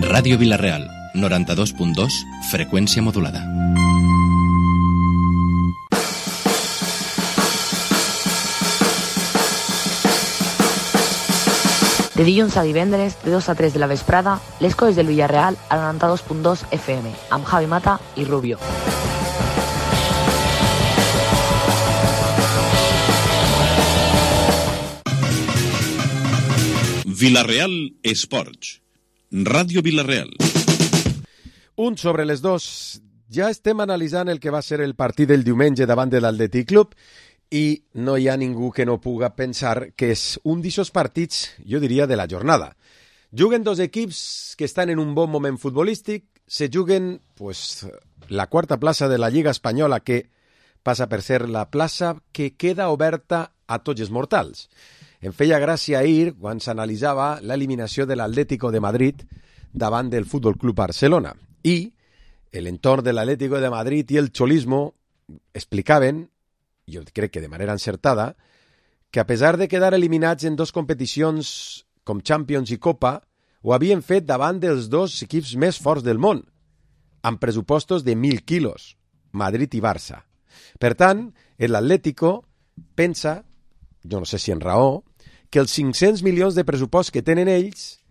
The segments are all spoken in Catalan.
Ràdio Vila-real, 92.2, freqüència modulada. De dilluns a divendres, de 2 a 3 de la vesprada, les coses del Villarreal al 92.2 FM, amb Javi Mata i Rubio. Vila-real Esports. Ràdio Vila-real. Un sobre les dos. Ja estem analitzant el que va ser el partit del diumenge davant de l'Atlètic Club i no hi ha ningú que no puga pensar que és un d'aquests partits, jo diria, de la jornada. Juguen dos equips que estan en un bon moment futbolístic, se juguen la quarta plaça de la Lliga Espanyola, que passa per ser la plaça que queda oberta a tots els mortals. Em feia gràcia ahir quan s'analitzava l'eliminació de l'Atlético de Madrid davant del Futbol Club Barcelona i l'entorn de l'Atlético de Madrid i el xolismo explicaven, jo crec que de manera encertada, que a pesar de quedar eliminats en dos competicions com Champions i Copa, ho havien fet davant dels dos equips més forts del món, amb pressupostos de 1.000 quilos, Madrid i Barça. Per tant, l'Atlético pensa, jo no sé si en raó, que els 500 milions de pressupost que tenen ells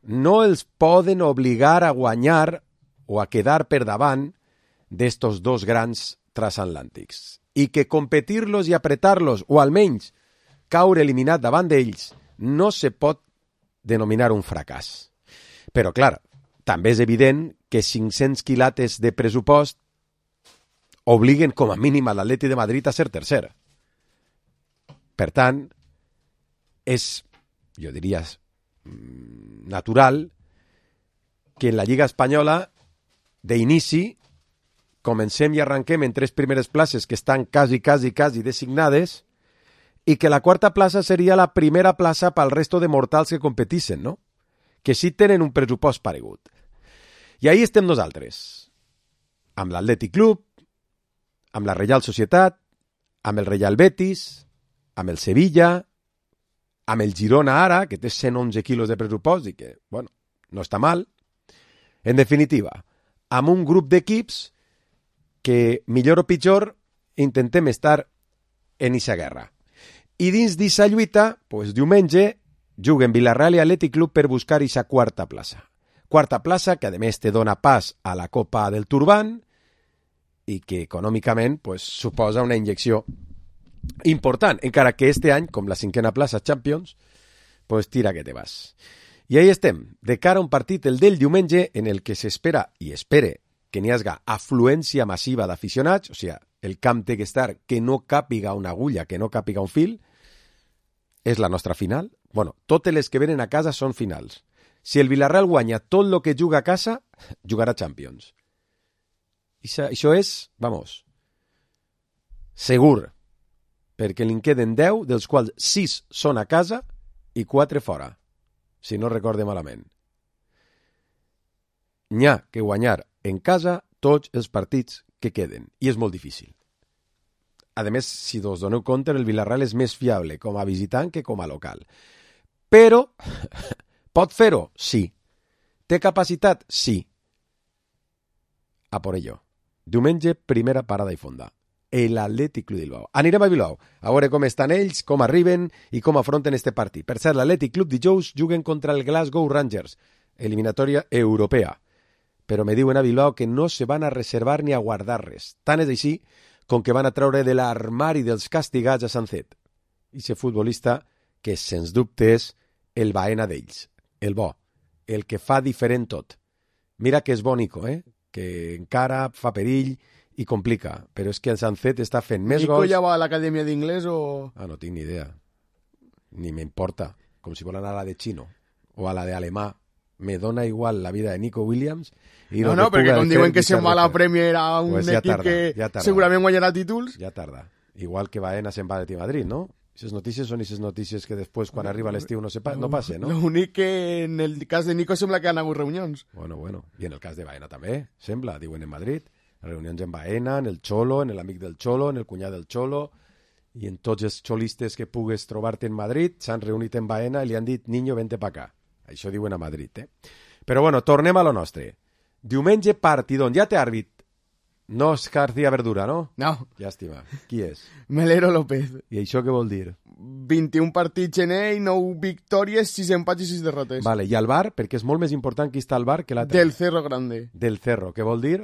no els poden obligar a guanyar o a quedar per davant d'estos dos grans transatlàntics. I que competir-los i apretar-los, o almenys caure eliminat davant d'ells, no se pot denominar un fracàs. Però, clar, també és evident que 500 quilates de pressupost obliguen com a mínim a l'Atleti de Madrid a ser tercer. Per tant, és, jo diria, natural que en la Lliga Espanyola, d'inici, comencem i arranquem en 3 primeres places que estan quasi designades i que la quarta plaça seria la primera plaça pel resto de mortals que competissen, no? Que sí tenen un pressupost paregut. I ahí estem nosaltres, amb l'Atlètic Club, amb la Reial Societat, amb el Real Betis, amb el Sevilla, amb el Girona ara, que té 111 quilos de pressupost i que, bueno, no està mal. En definitiva, amb un grup d'equips que, millor o pitjor, intentem estar en eixa guerra. I dins d'eixa lluita, diumenge, juguen Villarreal i Atlètic Club per buscar eixa quarta plaça. Quarta plaça que, a més, te dona pas a la Copa del Turban i que, econòmicament, suposa una injecció important, encara que este any, com la 5a plaça Champions, tira que te vas. I ahí estem, de cara a un partit, el del diumenge, en el que s'espera, i espere, que n'hi hagi afluència massiva d'aficionats, o sigui, el camp té que estar que no càpiga una agulla, que no càpiga un fil, és la nostra final. Bueno, totes les que venen a casa són finals. Si el Villarreal guanya tot el que juga a casa, jugarà Champions. Això és, segur, perquè li'n queden 10, dels quals 6 són a casa i 4 fora, si no recorde malament. N'hi ha que guanyar en casa tots els partits que queden, i és molt difícil. A més, si us doneu compte, el Villarreal és més fiable com a visitant que com a local. Però, pot fer-ho? Sí. Té capacitat? Sí. A por ello. Diumenge, primera parada i fonda. L'Atlètic Club de Bilbao. Anirem a Bilbao, a veure com estan ells, com arriben i com afronten este partit. Per cert, l'Atlètic Club dijous juguen contra el Glasgow Rangers, eliminatòria europea. Però me diuen a Bilbao que no se van a reservar ni a guardar res. Tant és així com que van a treure de l'armari dels castigats a Sancet. I ser futbolista que, sens dubte, és el Baena d'ells, el bo, el que fa diferent tot. Mira que és bo Nico, que encara fa perill i complica, però és que el Sancet està fent més gols... Nico ja va a l'acadèmia d'inglès o...? No tinc ni idea. Ni m'importa. Com si vol anar a la de xino o a la de alemà. Me dona igual la vida de Nico Williams... No, perquè com diuen que se'n va a la Premier a un equip que segurament guanyarà títols... Ja tarda. Igual que Baena se'n va de Madrid, no? Aquestes notícies són aquestes notícies que després, quan arriba l'estiu, no passa, no? L'únic que en el cas de Nico sembla que han hagut reunions. Bueno. I en el cas de Baena també, sembla, diuen en Madrid. Reunions en Baena, en el Cholo, en l'amic del Cholo, en el cunyat del Cholo, i en tots els xolistes que pugues trobar-te en Madrid s'han reunit en Baena i li han dit, niño, vente pa acá. Això diuen a Madrid, Però bueno, tornem a lo nostre. Diumenge partidon. Ja té àrbit. No és García Verdura, no? No. Llàstima. Qui és? Melero López. I això què vol dir? 21 partits en ell, 9 victòries, 6 empats i 6 derrotes. Vale, i al bar, perquè és molt més important qui està al bar que l'altre. Del Cerro Grande. Del Cerro, què vol dir?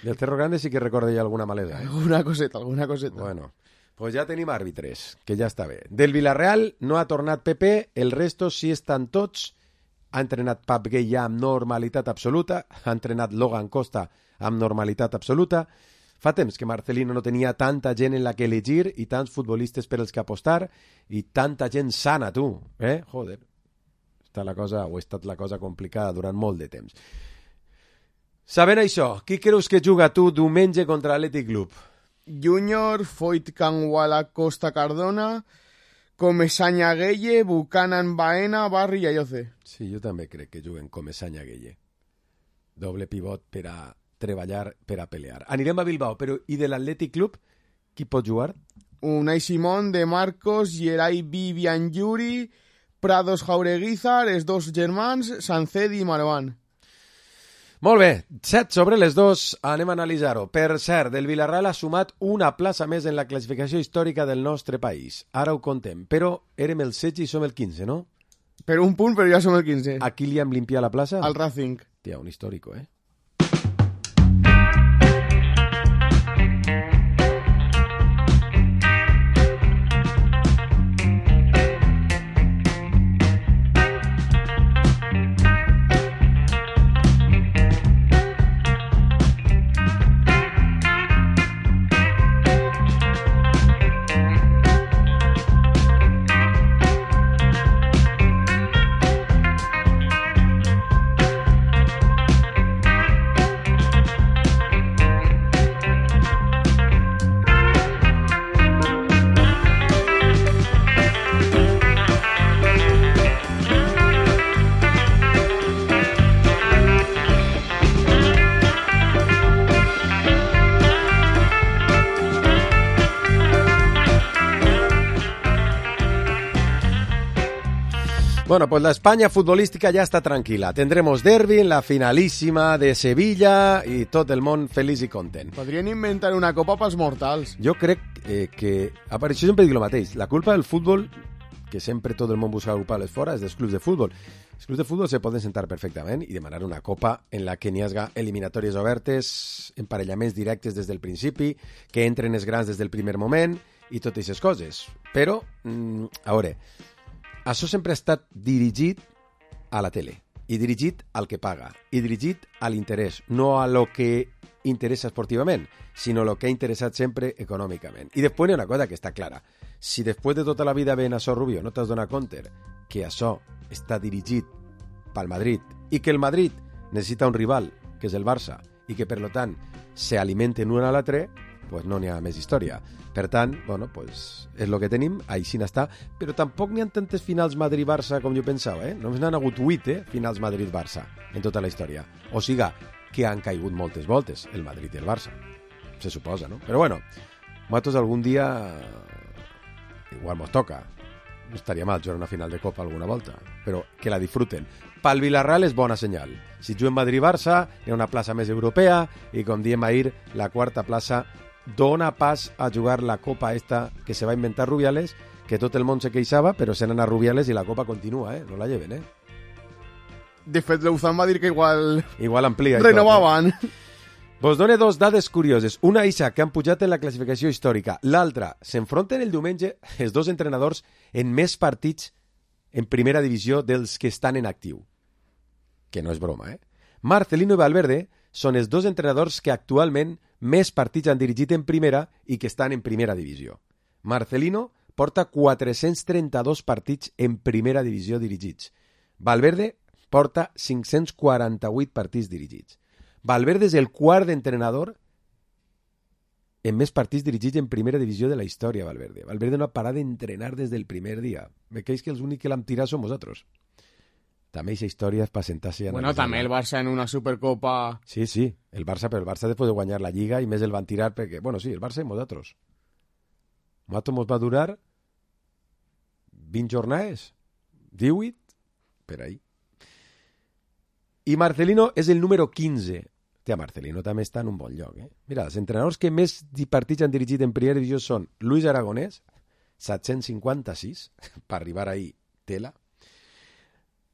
Del Cerro Grande sí que recorda ja alguna malesa. Alguna coseta. Bueno, pues ja tenim àrbitres, que ja està bé. Del Villarreal no ha tornat Pepe, el resto sí estan tots. Ha entrenat Pap Gay ja amb normalitat absoluta, ha entrenat Logan Costa amb normalitat absoluta. Fa temps que Marcelino no tenia tanta gent en la que elegir i tants futbolistes per als que apostar i tanta gent sana, tu. Joder. Ha estat la cosa complicada durant molt de temps. Sabent això, qui creus que juga tu diumenge contra l'Atlètic Club? Júnior, Foyt Canguala Costa Cardona, Comesaña Gueye, Buchanan Baena, Barri i Ayoce. Sí, jo també crec que juguen Comesaña Gueye. Doble pivot per a treballar, per a pelear. Anirem a Bilbao, però i de l'Atlètic Club, qui pot jugar? Unai Simón, De Marcos, Gerai Vivian Yuri, Prados Jaureguizar, els dos germans, Sancedi i Marwan. Molt bé, 7 sobre les 2, anem a analitzar-ho. Per cert, el Villarreal ha sumat una plaça més en la classificació històrica del nostre país. Ara ho contem, però érem el 16 i som el 15, no? Per un punt, però ja som el 15. A qui li hem limpiat la plaça? Al Racing. Tia, un històrico, Bueno, pues la España futbolística ya está tranquila. Tendremos derbi en la finalísima de Sevilla y tot el món feliç i content. Podrien inventar una copa pels mortals. Jo crec que apareixo sempre dic el mateix. La culpa del futbol, que sempre tot el món busca culpables fora, és dels clubs de futbol. Els clubs de futbol se poden sentar perfectament i demanar una copa en la que n'hi hagi eliminatòries obertes, emparellaments directes des del principi, que entren els grans des del primer moment i totes aquestes coses. Però, a veure, això sempre ha estat dirigit a la tele, i dirigit al que paga, i dirigit a l'interès, no a lo que interessa esportivament, sinó a lo que ha interessat sempre econòmicament. I després hi ha una cosa que està clara. Si després de tota la vida ven això, Rubio, no t'has donat compte que això està dirigit pel Madrid i que el Madrid necessita un rival, que és el Barça, i que, per tant, se alimenten un a l'altre, pues no n'hi ha més història. Per tant, bueno, pues és el que tenim, així n'està, però tampoc n'hi ha tantes finals Madrid-Barça com jo pensava, Només n'han hagut 8, finals Madrid-Barça en tota la història. O siga, que han caigut moltes voltes, el Madrid i el Barça. Se suposa, no? Però bueno, nosaltres algun dia igual mos toca. No estaria mal jugar una final de Copa alguna volta, però que la disfruten. Pel Villarreal és bona senyal. Si juguen Madrid-Barça, hi ha una plaça més europea i, com diem ahir, la quarta plaça dona pas a jugar la Copa esta que se va inventar Rubiales, que tot el món se queixava, però se n'han a Rubiales i la Copa continua, no la lleven, De fet, l'Uzan va dir que igual amplia. Renovaven. Vos done dos dades curioses. Una ixa que han pujat en la classificació històrica. L'altra, s'enfronten el diumenge els dos entrenadors en més partits en primera divisió dels que estan en actiu. Que no és broma, Marcelino i Valverde són els dos entrenadors que actualment més partits han dirigit en primera i que estan en primera divisió. Marcelino porta 432 partits en primera divisió dirigits. Valverde porta 548 partits dirigits. Valverde és el quart entrenador en més partits dirigits en primera divisió de la història, Valverde. Valverde no ha parat d'entrenar des del primer dia. Veig que els únics que l'hem tirat som vosaltres. També aquesta història és per sentar-se... Bueno, també el Barça en una Supercopa... Sí, el Barça, però el Barça després de guanyar la Lliga i més el van tirar perquè... Bueno, sí, el Barça i vosaltres. Nosaltres mos va durar 20 jornades, 18, per ahí. I Marcelino és el número 15. Hòstia, Marcelino també està en un bon lloc. Mira, els entrenadors que més partits han dirigit en primera divisió són Luis Aragonès, 756, per arribar ahí, tela.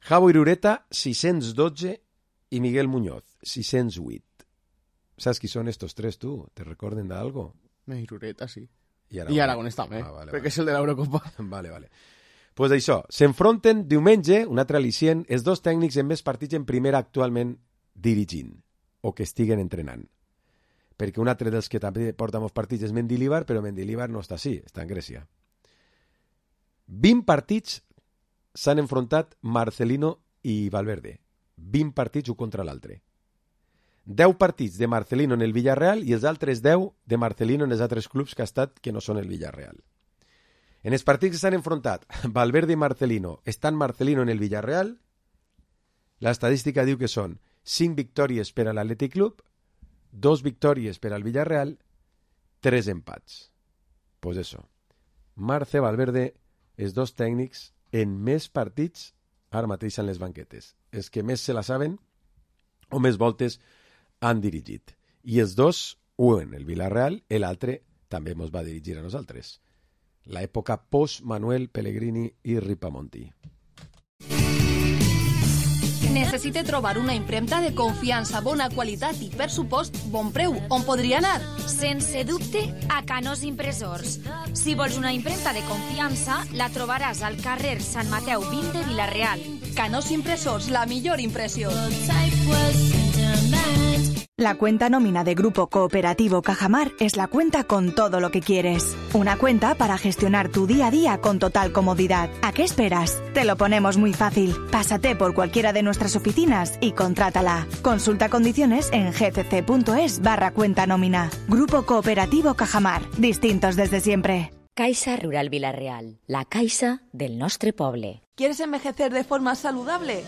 Javo Irureta, 612, i Miguel Muñoz, 608. ¿Sabes qui són estos tres, tu? ¿Te recorden de algo? Irureta, sí. I I Aragonès també, perquè és el de l'Eurocopa. Vale. Pues això, s'enfronten diumenge, un altre al·licient, els dos tècnics amb més partits en primera actualment dirigint, o que estiguen entrenant. Perquè un altre dels que també porta molts partits és Mendilibar, però Mendilibar no està així, està en Grècia. 20 partits s'han enfrontat Marcelino i Valverde. 20 partits un contra l'altre. 10 partits de Marcelino en el Villarreal i els altres 10 de Marcelino en els altres clubs que ha estat que no són el Villarreal. En els partits que s'han enfrontat Valverde i Marcelino, estant Marcelino en el Villarreal, l'estadística diu que són 5 victòries per a l'Atlètic Club, 2 victòries per al Villarreal, 3 empats. Pues eso. Marce, Valverde, els dos tècnics en més partits ara mateix en les banquetes. Els que més se la saben o més voltes han dirigit. I els dos, un el Villarreal, l'altre també ens va dirigir a nosaltres. L'època post-Manuel Pellegrini i Ripamonti. Necessite trobar una impremta de confiança, bona qualitat i, per supost, bon preu. On podria anar? Sense dubte, a Canós Impressors. Si vols una impremta de confiança, la trobaràs al carrer Sant Mateu 20 de Vila-real. Canós Impressors, la millor impressió. La cuenta nómina de Grupo Cooperativo Cajamar es la cuenta con todo lo que quieres. Una cuenta para gestionar tu día a día con total comodidad. ¿A qué esperas? Te lo ponemos muy fácil. Pásate por cualquiera de nuestras oficinas y contrátala. Consulta condiciones en gcc.es/cuenta nómina. Grupo Cooperativo Cajamar. Distintos desde siempre. Caixa Rural Vila-real, la caixa del nostre poble. ¿Quieres envejecer de forma saludable?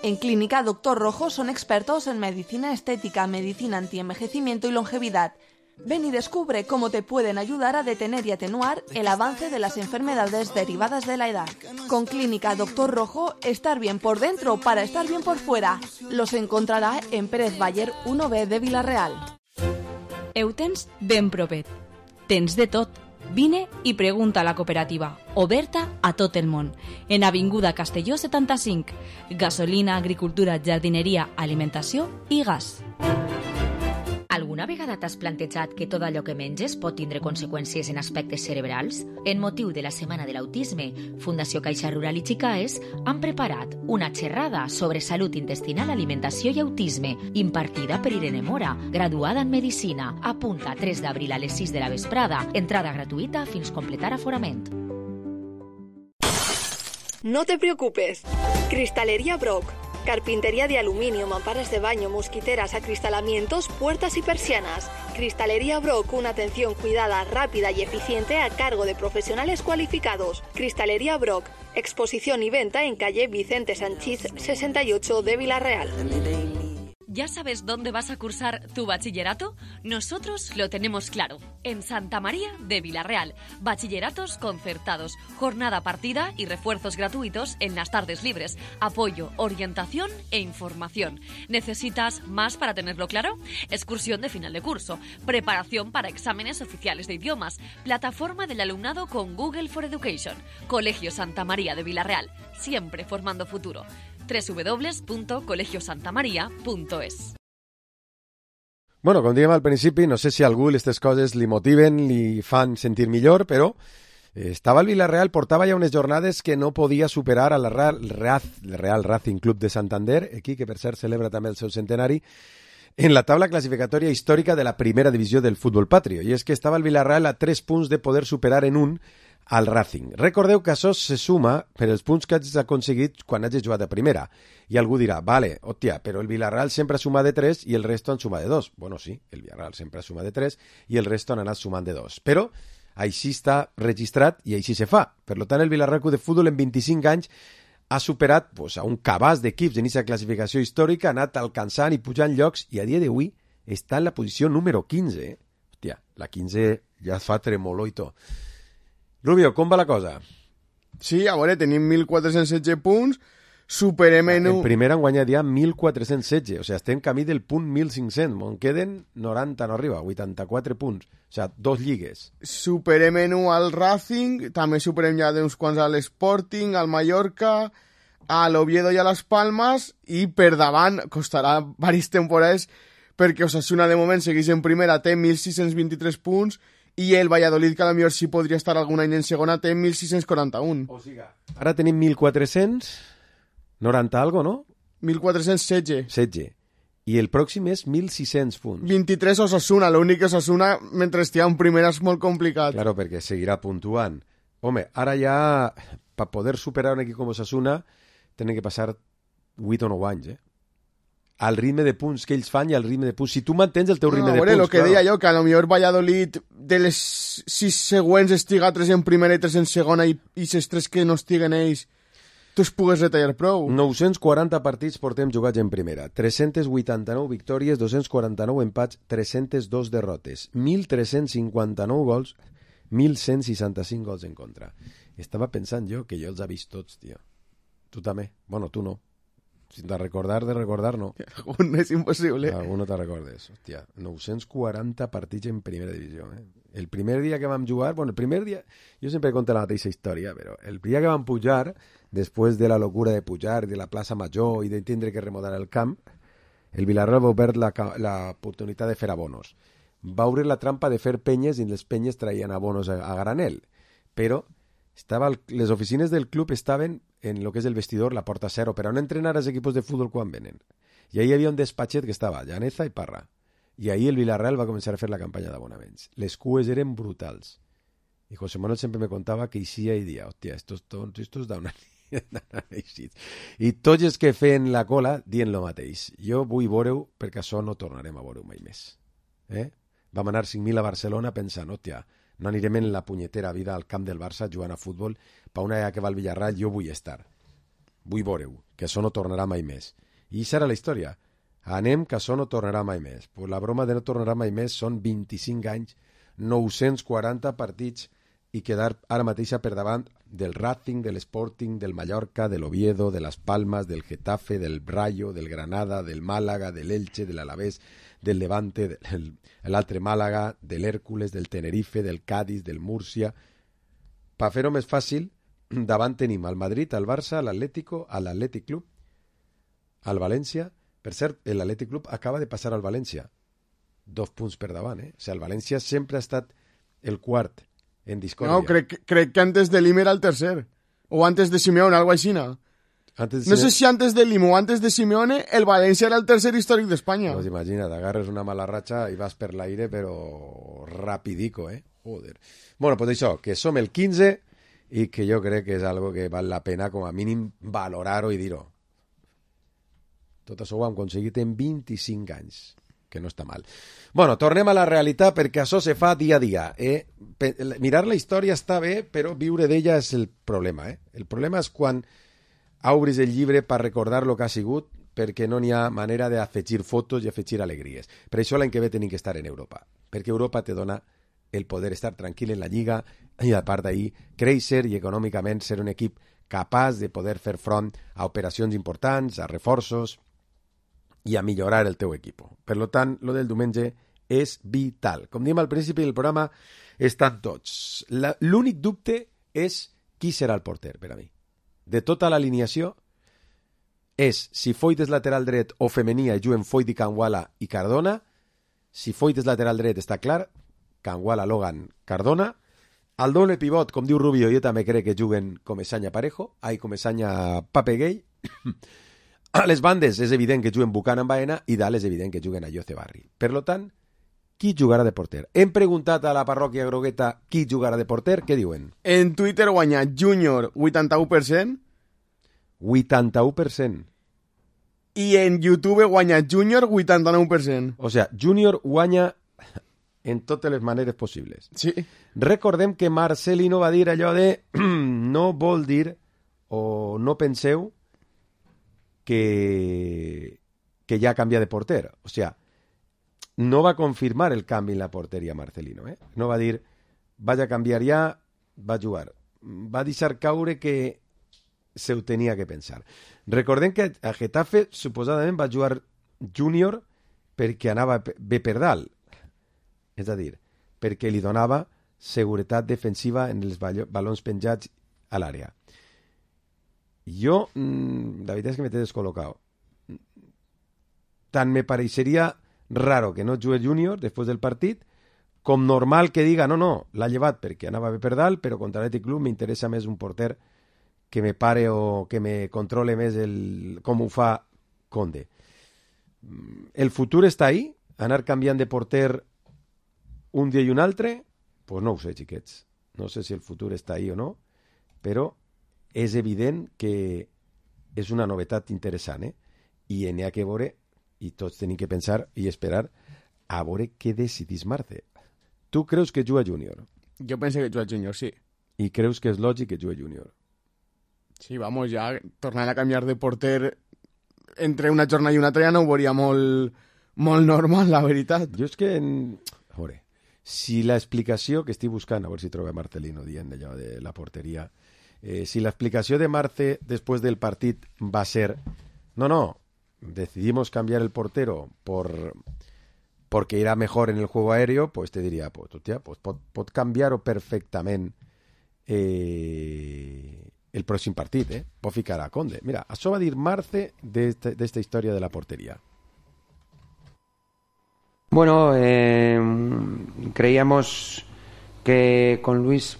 En Clínica Doctor Rojo son expertos en medicina estética, medicina antienvejecimiento y longevidad. Ven y descubre cómo te pueden ayudar a detener y atenuar el avance de las enfermedades derivadas de la edad. Con Clínica Doctor Rojo, estar bien por dentro para estar bien por fuera. Los encontrará en Pérez Baller 1B de Vila-real. Eutens ben propet. Tens de tot. Vine i pregunta a la cooperativa, oberta a tot el món. En Avinguda Castelló 75. Gasolina, agricultura, jardineria, alimentació i gas. Alguna vegada t'has plantejat que tot allò que menges pot tindre conseqüències en aspectes cerebrals? En motiu de la Setmana de l'Autisme, Fundació Caixa Rural i Xicaes han preparat una xerrada sobre salut intestinal, alimentació i autisme, impartida per Irene Mora, graduada en Medicina. Apunta 3 d'abril a les 6 de la vesprada, entrada gratuïta fins completar aforament. No te preocupes. Cristalería Brock. Carpintería de aluminio, mamparas de baño, mosquiteras, acristalamientos, puertas y persianas. Cristalería Brock, una atención cuidada, rápida y eficiente a cargo de profesionales cualificados. Cristalería Brock, exposición y venta en calle Vicente Sanchís 68 de Vila-real. ¿Ya sabes dónde vas a cursar tu bachillerato? Nosotros lo tenemos claro. En Santa María de Vila-real. Bachilleratos concertados, jornada partida y refuerzos gratuitos en las tardes libres. Apoyo, orientación e información. ¿Necesitas más para tenerlo claro? Excursión de final de curso. Preparación para exámenes oficiales de idiomas. Plataforma del alumnado con Google for Education. Colegio Santa María de Vila-real. Siempre formando futuro. www.colegiosantamaria.es. Bueno, com dèiem al principi, no sé si a algú aquestes coses li motiven, li fan sentir millor, però estava el Vila-real, portava ja unes jornades que no podia superar a la Real Racing Club de Santander, aquí que per cert celebra també el seu centenari, en la taula classificatòria històrica de la primera divisió del futbol patrio. I és que estava el Vila-real a 3 punts de poder superar en un al Racing. Recordeu que això se suma per els punts que has aconseguit quan hagis jugat a primera. I algú dirà, vale, hòstia, però el Villarreal sempre suma de 3 i el resto en suma de 2. Bueno, sí, el Villarreal sempre suma de 3 i el resto han anat sumant de 2. Però així està registrat i així se fa. Per tant, el Villarreal Club de Futbol en 25 anys ha superat a un cabàs d'equips en aquesta classificació històrica, ha anat alcançant i pujant llocs i a dia d'avui està en la posició número 15. Hòstia, la 15 ja fa tremolor i tot. Rubio, com va la cosa? Sí, a veure, tenim 1.416 punts, Superemenu... En primera han guanyat ja 1.416, o sigui, estem camí del punt 1.500, on queden 90 no arriba, 84 punts, o sigui, 2 lligues. Superemenu al Racing, també superem ja d'uns quants a l'Sporting, al Mallorca, a l'Oviedo i a les Palmes, i per davant costarà diverses temporades perquè Osasuna de moment segueix en primera, té 1.623 punts, i el Valladolid, que potser sí podria estar algun any en segona, té 1.641. O sigui, ara tenim 1.490 algo, no? 1.416. 16. I el pròxim és 1.600 punts. 23 Osasuna, l'únic que Osasuna, mentre estigui en primera, és molt complicat. Claro, perquè seguirà puntuant. Home, ara ja, per poder superar un equip com Osasuna, tenen que passar 8 o 9 anys, al ritme de punts que ells fan i al ritme de punts. Si tu mantens el teu ritme de punts... El que deia jo, que a lo millor Valladolid de les 6 següents estiga 3 en primera i 3 en segona i les 3 que no estiguen ells tu es pugues retallar prou. 940 partits portem jugats en primera, 389 victòries, 249 empats, 302 derrotes, 1.359 gols, 1.165 gols en contra. Estava pensant jo que jo els he vist tots, tio. Tu també. Bueno, tu no. De recordar, no. Algun és impossible. Algun no te recordes. Hòstia, 940 partits en primera divisió. El primer dia que vam jugar, bueno, el primer dia, jo sempre conto la mateixa història, però el dia que vam pujar, després de la locura de pujar, de la plaça Major i de tindre que remodelar el camp, el Villarreal va obert l'oportunitat de fer abonos. Va obrir la trampa de fer penyes i les penyes traien abonos a granel. Però les oficines del club estaven en lo que és el vestidor, la porta cero, per on entrenar els equipos de futbol quan venen. I ahí hi havia un despatxet que estava Llaneza i Parra. I ahí el Villarreal va començar a fer la campanya d'abonaments. Les cues eren brutals. I José Manuel sempre me contava que eixia i dia, hòstia, estos d'on han eixit. I tots els que feien la cola dient lo mateix. Jo vull veure-ho perquè això no tornarem a veure-ho mai més. Vam anar 5.000 a Barcelona pensant, hòstia, no anirem en la punyetera vida al camp del Barça jugant a futbol, per una vegada que va al Villarreal jo vull estar. Vull veure-ho, que això no tornarà mai més. I això era la història. Anem, que això no tornarà mai més. Pues la broma de no tornarà mai més són 25 anys, 940 partits i quedar ara mateixa per davant del Racing, de l'Sporting, del Mallorca, de l'Oviedo, de les Palmes, del Getafe, del Rayo, del Granada, del Màlaga, de l'Elche, de l'Alavés, del Levante, de l'altre Màlaga, de l'Hèrcules, del Tenerife, del Cádiz, del Múrcia. Per fer-ho més fàcil, davant tenim al Madrid, al Barça, a l'Atlético, a l'Atlètic Club, al València. Per cert, l'Atlètic Club acaba de passar al València. 2 punts per davant, O sigui, el València sempre ha estat el quart en discòrdia. No, crec que antes de Lim era el tercer. O antes de Simeone, algo així, no? No sé si antes de Lim o antes de Simeone el València era el tercer històric d'Espanya. Pues imagina't, agarres una mala ratxa i vas per l'aire, però rapidico, Joder. Bueno, pues això, que som el 15 i que jo crec que és algo que val la pena com a mínim valorar-ho i dir-ho. Tot això ho hem aconseguit en 25 anys, que no està mal. Bueno, tornem a la realitat perquè això se fa dia a dia. Mirar la història està bé, però viure d'ella és el problema. El problema és quan obris el llibre per recordar el que ha sigut, perquè no n'hi ha manera d'afegir fotos i afegir alegries. Per això l'any que ve tenim que estar en Europa, perquè Europa te dona el poder estar tranquil en la Lliga i, a part d'ahir, créixer i econòmicament ser un equip capaç de poder fer front a operacions importants, a reforços i a millorar el teu equip. Per tant, lo del diumenge és vital. Com diem al principi del programa, estan tots. L'únic dubte és qui serà el porter, per a mi. De tota l'alineació és si Foyt és lateral dret o femení i juguen Foyt i Kangwala i Cardona. Si Foyt és lateral dret està clar, Kangwala, Logan, Cardona. Al doble pivot, com diu Rubio, jo també crec que juguen Comesaña Parejo, Comesaña Papeguei. A les bandes és evident que juguen Buchanan Baena i dalt és evident que juguen a Jose Barri. Per tant, qui jugarà de porter? Hem preguntat a la parròquia grogueta qui jugarà de porter, què diuen? En Twitter guanya Júnior 81%. 81%. I en YouTube guanya Júnior 89%. O sigui, Júnior guanya en totes les maneres possibles. Sí. Recordem que Marcelino va dir allò de no vol dir o no penseu que ja canvia de porter. O sigui, no va confirmar el canvi en la porteria Marcelino. No va dir vaig a canviar ja, va jugar. Va deixar caure que se ho tenia que pensar. Recordem que a Getafe suposadament va jugar Júnior perquè anava bé per dalt. És a dir, perquè li donava seguretat defensiva en els balons penjats a l'àrea. Jo, la veritat és que me t'he descol·locat. Tant me pareixeria raro que no jugui Júnior després del partit, com normal que diga, no, l'ha llevat perquè anava bé per dalt, però contra l'Atlètic Club m'interessa més un porter que me pare o que me controle més com ho fa Conde. El futur està ahí? Anar canviant de porter un dia i un altre? Pues no ho sé, xiquets. No sé si el futur està ahí o no, però és evident que és una novetat interessant, i n'hi ha que veure, i tots tenim que pensar i esperar a veure què decidís Marce. Tu creus que juga Júnior? Jo penso que juga Júnior, sí. I creus que és lògic que jugui Júnior? Sí, vamos, ja tornant a canviar de porter entre una jornada i una altra ja no ho veuria molt normal, la veritat. Jo és que... A veure, si l'explicació que estic buscant, a veure si trobo Marcelino dient allò de la porteria, si l'explicació de Marce després del partit va ser no, decidimos cambiar el portero porque irá mejor en el juego aéreo, pues te diría, pues pot canviar-ho perfectament el pròxim partit, pot ficar a Conde. Mira, això va dir Marce d'esta història de la portería. Bueno, creíamos que con Luis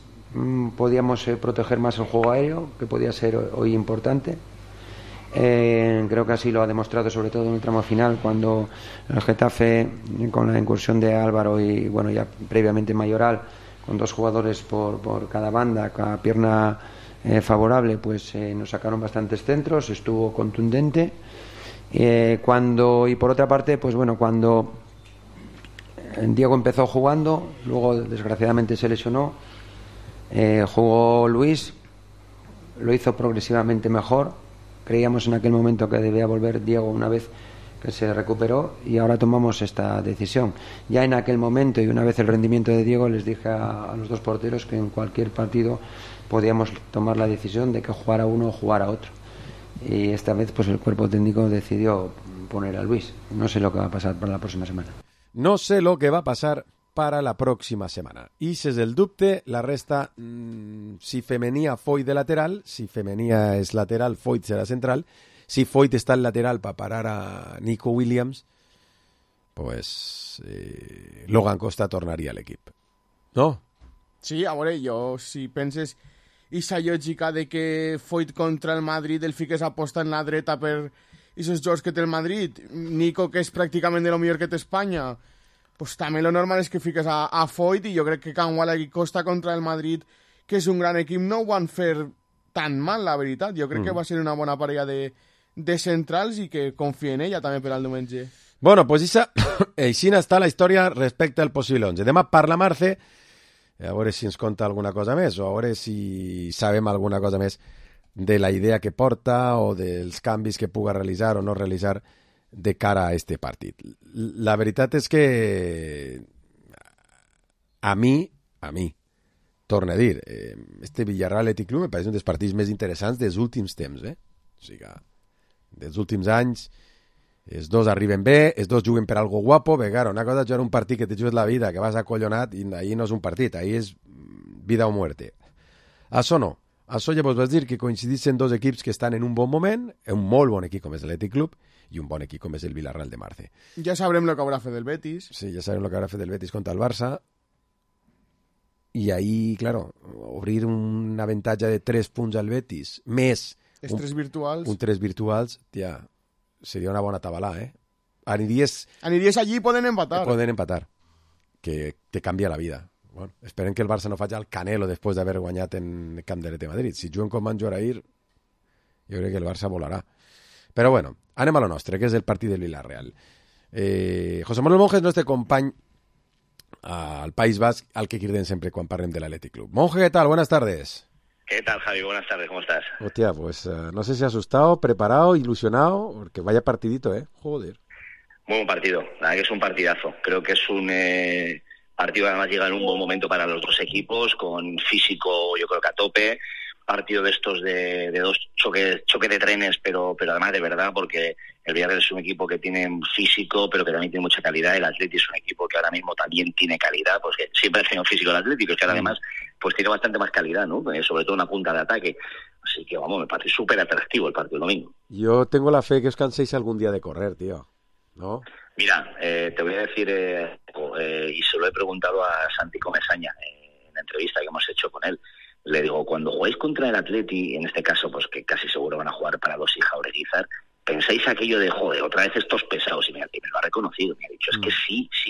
podíamos proteger más el juego aéreo, que podía ser hoy importante. Creo que así lo ha demostrado, sobre todo en el tramo final, cuando el Getafe, con la incursión de Álvaro y bueno, ya previamente Mayoral, con dos jugadores por cada banda, cada pierna favorable, pues nos sacaron bastantes centros, estuvo contundente. Y por otra parte, pues bueno, cuando Diego empezó jugando, luego desgraciadamente se lesionó, jugó Luis, lo hizo progresivamente mejor. Creíamos en aquel momento que debía volver Diego una vez que se recuperó y ahora tomamos esta decisión. Ya en aquel momento y una vez el rendimiento de Diego les dije a los dos porteros que en cualquier partido podíamos tomar la decisión de que jugara uno o jugara otro. Y esta vez pues el cuerpo técnico decidió poner a Luis. No sé lo que va a pasar para la próxima semana. No sé lo que va a pasar para la pròxima setmana. I si és el dubte, la resta, si Femenia Foyt de lateral, si Femenia és lateral, Foyt serà central, si Foyt està al lateral per parar a Nico Williams, pues Logan Costa tornaria a l'equip. No? Sí, a veure, jo, si penses aquesta lògica de que Foyt contra el Madrid el fiques aposta en la dreta per aquests jocs que té el Madrid, Nico, que és pràcticament de lo millor que té Espanya, pues també lo normal és que fiques a Foyt, i jo crec que Canguala i Costa contra el Madrid, que és un gran equip, no ho van fer tan mal, la veritat. Jo crec que va ser una bona parella de centrals i que confio en ella també per al diumenge. Bueno, pues així està la història respecte al possible 11. Demà parla Marce, a veure si ens conta alguna cosa més, o a veure si sabem alguna cosa més de la idea que porta o dels canvis que puga realitzar o no realitzar de cara a este partit. La veritat és que a mi, torno a dir, este Villarreal Athletic Club me pareix un dels partits més interessants dels últims temps, O sigui, dels últims anys, els dos arriben bé, els dos juguen per algo guapo, bé, claro, una cosa és jugar un partit que te jugues la vida, que vas acollonat, i ahí no és un partit, ahí és vida o muerte. Això no. Això llavors vas dir que coincidissin dos equips que estan en un bon moment, un molt bon equip com és l'Athletic Club i un bon equip com és el Villarreal de Marce. Ja sabrem el que haurà fet el Betis. Sí, ja sabrem el que haurà fet el Betis contra el Barça. I ahí, claro, obrir un avantatge de 3 punts al Betis, més... Els 3 virtuals. Un 3 virtuals, ja, seria una bona tabalà, Aniries allí poden empatar. Poden empatar, que te canvia la vida. Bueno, esperem que el Barça no faci el Canelo després d'haver guanyat en Camp de Madrid. Si juguen com van jugar ahir, jo crec que el Barça volarà. Però bueno, anem a lo nostre, que és el partit del Villarreal. José Manuel Monge és el nostre company al País Basc, al que cridem sempre quan parlem de l'Athletic Club. Monge, ¿qué tal? Buenas tardes. ¿Qué tal, Javi? Buenas tardes, ¿cómo estás? Hostia, pues no sé si asustado, preparado, ilusionado, porque vaya partidito, Joder. Muy buen partido, la verdad que es un partidazo. Creo que es un partido que además llega en un buen momento para los dos equipos, con físico yo creo que a tope, partido de estos de dos choque de trenes, pero además de verdad, porque el Villarreal es un equipo que tiene físico, pero que también tiene mucha calidad. El Atleti es un equipo que ahora mismo también tiene calidad, pues que siempre ha tenido físico el Atleti, pero es que además pues tiene bastante más calidad, ¿no? Sobre todo una punta de ataque. Así que, vamos, me parece súper atractivo el partido del domingo. Yo tengo la fe que os canséis algún día de correr, tío, ¿no? Mira, te voy a decir, y se lo he preguntado a Santi Comesaña en la entrevista que hemos hecho con él. Le digo, cuando jugáis contra el Atleti, en este caso, pues que casi seguro van a jugar para Dos y Jaureguizar, ¿pensáis aquello de, joder, otra vez estos pesados? Y me lo ha reconocido, me ha dicho, es que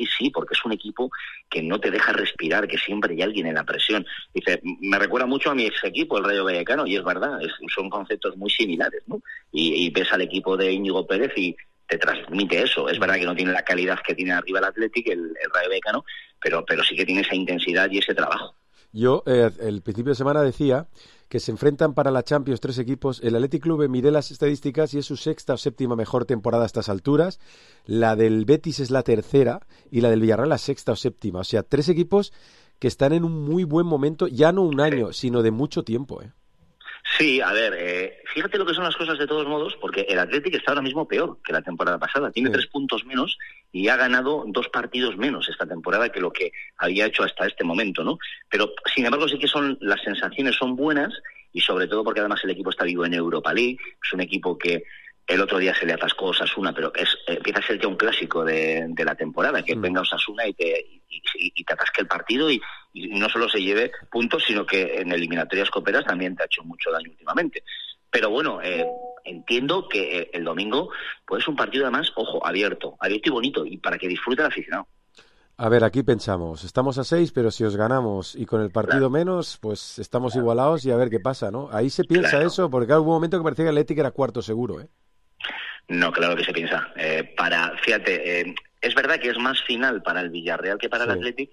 sí, porque es un equipo que no te deja respirar, que siempre hay alguien en la presión. Dice, me recuerda mucho a mi ex equipo, el Rayo Vallecano, y es verdad, son conceptos muy similares, ¿no? Y ves al equipo de Íñigo Pérez y te transmite eso. Es verdad que no tiene la calidad que tiene arriba el Athletic, el Rayo Vallecano, pero sí que tiene esa intensidad y ese trabajo. Yo, el principio de semana decía que se enfrentan para la Champions 3 equipos. El Athletic Club, miré las estadísticas y es su sexta o séptima mejor temporada a estas alturas. La del Betis es la tercera y la del Villarreal la sexta o séptima. O sea, 3 equipos que están en un muy buen momento, ya no un año, sino de mucho tiempo, ¿eh? Sí, a ver, fíjate lo que son las cosas de todos modos, porque el Athletic está ahora mismo peor que la temporada pasada. Tiene 3 puntos menos y ha ganado 2 partidos menos esta temporada que lo que había hecho hasta este momento, ¿no? Pero, sin embargo, sí que las sensaciones son buenas y sobre todo porque además el equipo está vivo en Europa League. Es un equipo que el otro día se le atascó Osasuna, pero empieza a ser ya un clásico de la temporada, que venga Osasuna y te atasque el partido y no solo se lleve puntos, sino que en eliminatorias coperas también te ha hecho mucho daño últimamente. Pero bueno, entiendo que el domingo pues es un partido además, ojo, abierto y bonito, y para que disfrute el aficionado. A ver, aquí pensamos, estamos a 6, pero si os ganamos y con el partido menos, pues estamos igualados y a ver qué pasa, ¿no? Ahí se piensa eso, porque hubo un momento que parecía que el Athletic era cuarto seguro, ¿eh? No, claro que se piensa. Fíjate, es verdad que es más final para el Villarreal que para el Athletic,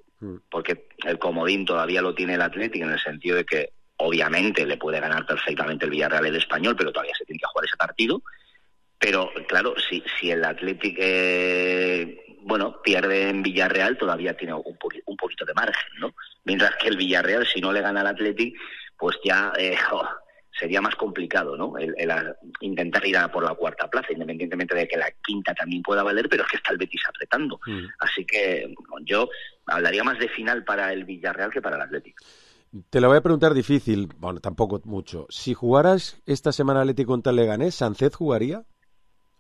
porque el comodín todavía lo tiene el Athletic en el sentido de que obviamente le puede ganar perfectamente el Villarreal el Español, pero todavía se tiene que jugar ese partido. Pero claro, si el Athletic pierde en Villarreal, todavía tiene un poquito de margen, ¿no? Mientras que el Villarreal, si no le gana al Athletic, pues ya sería más complicado, ¿no? El intentar ir a por la cuarta plaza, independientemente de que la quinta también pueda valer, pero es que está el Betis apretando. Así que yo hablaría más de final para el Villarreal que para el Athletic. Te lo voy a preguntar difícil, bueno, tampoco mucho. Si jugaras esta semana Athletic contra el Leganés, ¿Sánchez jugaría?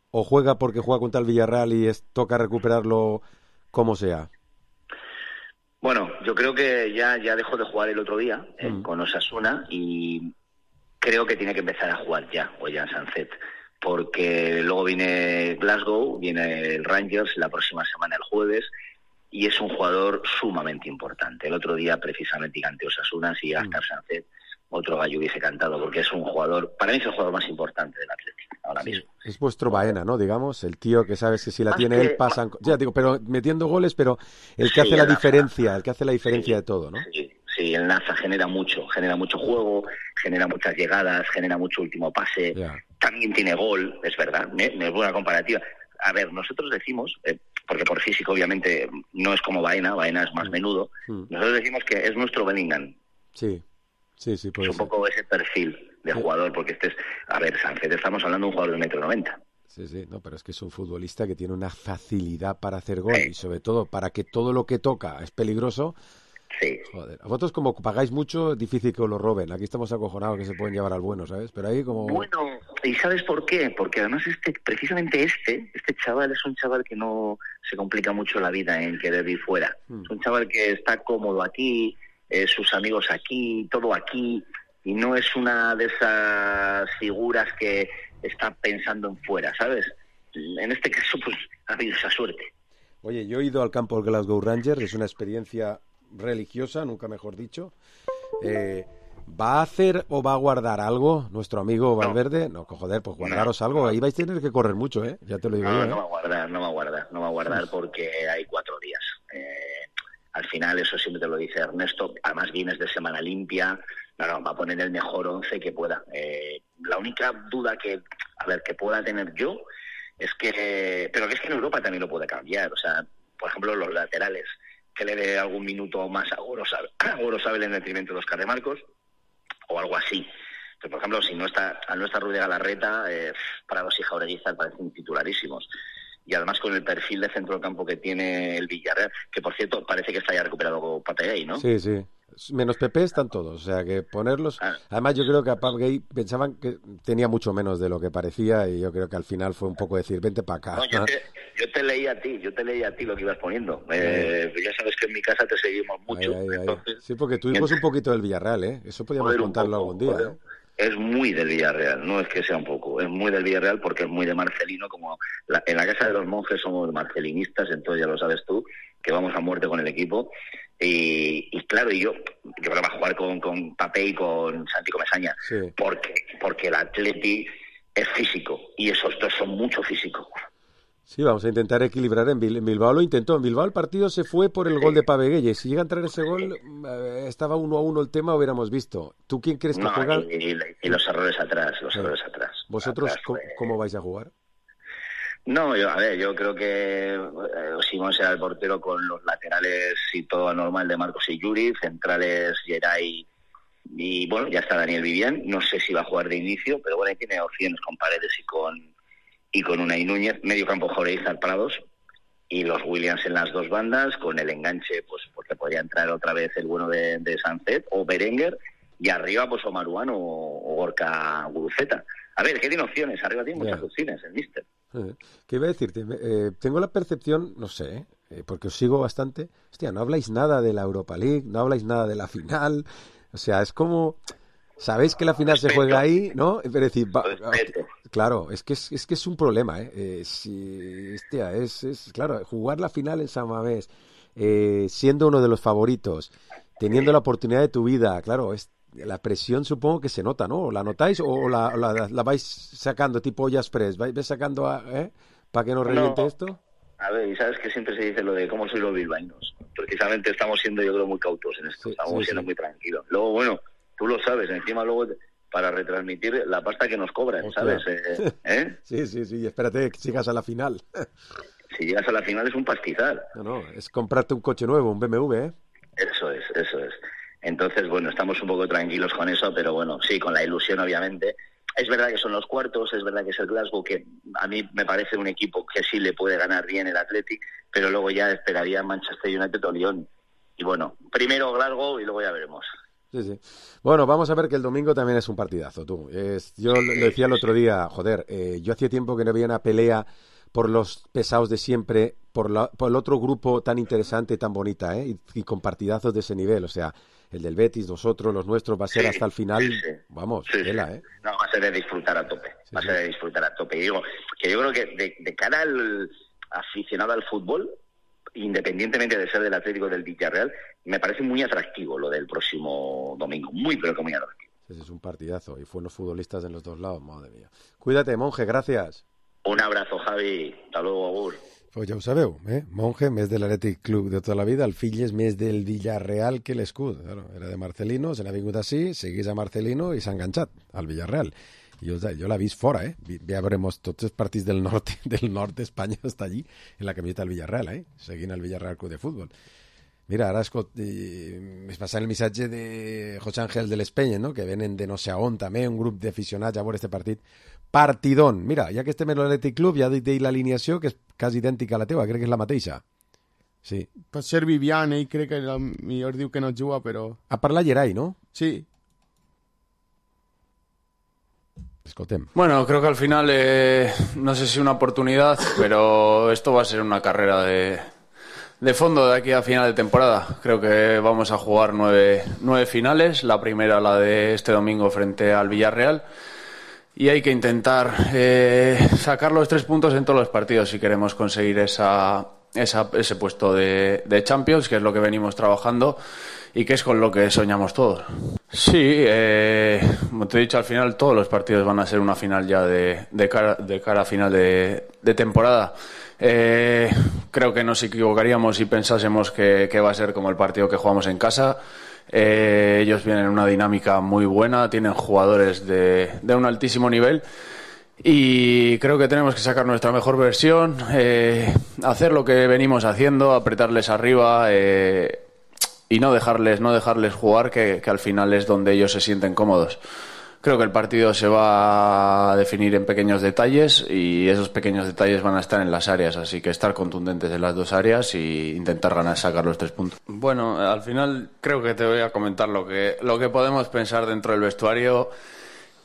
¿O juega porque juega contra el Villarreal y toca recuperarlo como sea? Bueno, yo creo que ya dejó de jugar el otro día con Osasuna y creo que tiene que empezar a jugar ya, Ollán Sánchez, porque luego viene Glasgow, viene el Rangers la próxima semana el jueves y es un jugador sumamente importante. El otro día precisamente ante Osasuna, si Gaspar Sánchez, otro gallo hubiese cantado, porque es un jugador, para mí es el jugador más importante del Atlético ahora mismo. Es vuestro Baena, ¿no? Digamos, el tío que sabes que si la tiene él pasan... Ya digo, pero metiendo goles, pero el que hace la diferencia, el que hace la diferencia de todo, ¿no? Sí, el Naza genera mucho juego, genera muchas llegadas, genera mucho último pase, también tiene gol, es verdad, me buena comparativa. A ver, nosotros decimos, porque por físico obviamente no es como Baena es más menudo, nosotros decimos que es nuestro Bellingham. Sí, puede es un poco ese perfil de jugador, porque Sánchez, estamos hablando de un jugador de 1,90 m. Sí, no, pero es que es un futbolista que tiene una facilidad para hacer gol y sobre todo para que todo lo que toca es peligroso. Sí. Joder, a vosotros como pagáis mucho, es difícil que os lo roben. Aquí estamos acojonados que se pueden llevar al bueno, ¿sabes? Pero ahí como... Bueno, ¿y sabes por qué? Porque además precisamente este chaval es un chaval que no se complica mucho la vida en querer ir fuera. Es un chaval que está cómodo aquí, sus amigos aquí, todo aquí, y no es una de esas figuras que está pensando en fuera, ¿sabes? En este caso, pues, ha habido esa suerte. Oye, yo he ido al campo del Glasgow Rangers, es una experiencia religiosa, nunca mejor dicho. ¿Va a hacer o va a guardar algo nuestro amigo Valverde? No, joder, pues guardaros algo. Ahí vais a tener que correr mucho, ¿eh? Ya te lo digo yo, ¿eh? No va a guardar porque hay 4 días. Al final, eso siempre te lo dice Ernesto, además vienes de semana limpia, va a poner el mejor 11 que pueda. La única duda que pueda tener yo es que, pero que es que en Europa también lo puede cambiar, o sea, por ejemplo, los laterales, que le dé algún minuto más a Gorosabel en detrimento de Óscar de Marcos, o algo así. por ejemplo, si no está Rudy Galarreta, Prados y Jaureguizar parecen titularísimos. Y además con el perfil de centro del campo que tiene el Villarreal, que por cierto parece que está ya recuperado Pape Gay, ¿no? Sí. Menos Pepe están todos, o sea que ponerlos... Además yo creo que a Pape Gay pensaban que tenía mucho menos de lo que parecía y yo creo que al final fue un poco decir, vente para acá. No, yo te leí a ti lo que ibas poniendo. Ya sabes que en mi casa te seguimos mucho. Entonces, sí, porque tuvimos un poquito del Villarreal, ¿eh? Eso podíamos contarlo algún día, ¿eh? Es muy del Villarreal, no es que sea un poco, es muy del Villarreal porque es muy de Marcelino, como en la casa de los monjes somos marcelinistas, entonces ya lo sabes tú, que vamos a muerte con el equipo. Y claro, yo creo que va a jugar con Pape y con Santi Comesaña, porque el Atleti es físico y esos dos son mucho físicos. Sí, vamos a intentar equilibrar. En Bilbao lo intentó. En Bilbao el partido se fue por el gol de Pape Gay. Si llega a entrar ese gol, estaba 1-1 el tema, hubiéramos visto. ¿Tú quién crees que juega? Y los errores atrás, ¿Vosotros cómo vais a jugar? No, yo creo que Simón será el portero con los laterales y todo anormal de Marcos y Yuri, centrales Geray y bueno, ya está Daniel Vivian. No sé si va a jugar de inicio, pero bueno, ahí tiene opciones con Paredes y con Unai Núñez, medio campo Jaureguizar Prados y los Williams en las dos bandas, con el enganche, pues porque podría entrar otra vez el bueno de Sancet o Berenguer, y arriba pues o Maruán o Gorka Guruceta. A ver, ¿qué tiene opciones? Arriba tiene muchas opciones el míster. ¿Qué iba a decirte? Tengo la percepción, no sé, porque os sigo bastante, hostia, no habláis nada de la Europa League, no habláis nada de la final, o sea, es como... Sabéis que la final se juega ahí, ¿no? Pero decir, claro, es que es un problema, ¿eh? Claro, jugar la final en San Mamés, siendo uno de los favoritos, teniendo la oportunidad de tu vida, claro, la presión supongo que se nota, ¿no? ¿La notáis o la vais sacando tipo Ollas Press? ¿Vais sacando para que no reviente esto? A ver, y sabes que siempre se dice lo de cómo soy los bilbaínos. Precisamente estamos siendo, yo creo, muy cautos en esto, estamos siendo muy tranquilos. Luego, bueno... Tú lo sabes, encima luego para retransmitir la pasta que nos cobran, ¿sabes? Sí, espérate que llegas a la final. Si llegas a la final es un pastizal. No, es comprarte un coche nuevo, un BMW, ¿eh? Eso es. Entonces, bueno, estamos un poco tranquilos con eso, pero bueno, sí, con la ilusión, obviamente. Es verdad que son los cuartos, es verdad que es el Glasgow, que a mí me parece un equipo que sí le puede ganar bien el Athletic, pero luego ya esperaría Manchester United o Lyon. Y bueno, primero Glasgow y luego ya veremos. Sí. Bueno, vamos a ver que el domingo también es un partidazo, tú. Yo lo decía el otro día, yo hacía tiempo que no había una pelea por los pesados de siempre, por el otro grupo tan interesante y tan bonita, y con partidazos de ese nivel, o sea, el del Betis, nosotros, los nuestros, va a ser hasta el final, vamos, tela, No, va a ser de disfrutar a tope, de disfrutar a tope. Y digo, que yo creo que de cara al aficionado al fútbol, independientemente de ser del Atlético del Villarreal, me parece muy atractivo lo del próximo domingo, pero que muy atractivo. Ese es un partidazo y fueron futbolistas en los dos lados, madre mía. Cuídate, Monje, gracias. Un abrazo, Javi, hasta luego, agur. Pues ja ho sabeu, Monje, més de l'Atlètic Club de tota la vida, el fill és més del Villarreal que l'escut. Claro, era de Marcelino, se n'ha vingut així, seguís a Marcelino i s'ha enganxat al Villarreal. Jo l'he vist fora, Ja veuremos tots els partits del nord d'Espanya està allí, en la camiseta del Villarreal, seguint el Villarreal Club de Futbol. Mira, ara es passa el missatge de José Ángel de l'Espenya, no? Que venen de no sé on també, un grup d'aficionats a veure este partit. Partidón. Mira, ja que estem en l'Atlètic Club, ja dic l'alineació, que és quasi idèntica a la teva, crec que és la mateixa. Sí. Pot ser Vivian, crec que millor diu que no juga, però... Ha parlat Geray, ¿no? Sí. Escoltem. Bueno, creo que al final, no sé si una oportunidad, pero esto va a ser una carrera de fondo de aquí a final de temporada. Creo que vamos a jugar 9 finales, la primera la de este domingo frente al Villarreal, y hay que intentar sacar los 3 puntos en todos los partidos si queremos conseguir ese puesto de Champions, que es lo que venimos trabajando y que es con lo que soñamos todos. Sí, como te he dicho, al final todos los partidos van a ser una final ya de cara a final de temporada. Creo que nos equivocaríamos si pensásemos que va a ser como el partido que jugamos en casa. Ellos vienen en una dinámica muy buena, tienen jugadores de un altísimo nivel y creo que tenemos que sacar nuestra mejor versión, hacer lo que venimos haciendo, apretarles arriba y no dejarles jugar, que al final es donde ellos se sienten cómodos. Creo que el partido se va a definir en pequeños detalles y esos pequeños detalles van a estar en las áreas, así que estar contundentes en las dos áreas e intentar sacar los 3 puntos. Bueno, al final creo que te voy a comentar lo que podemos pensar dentro del vestuario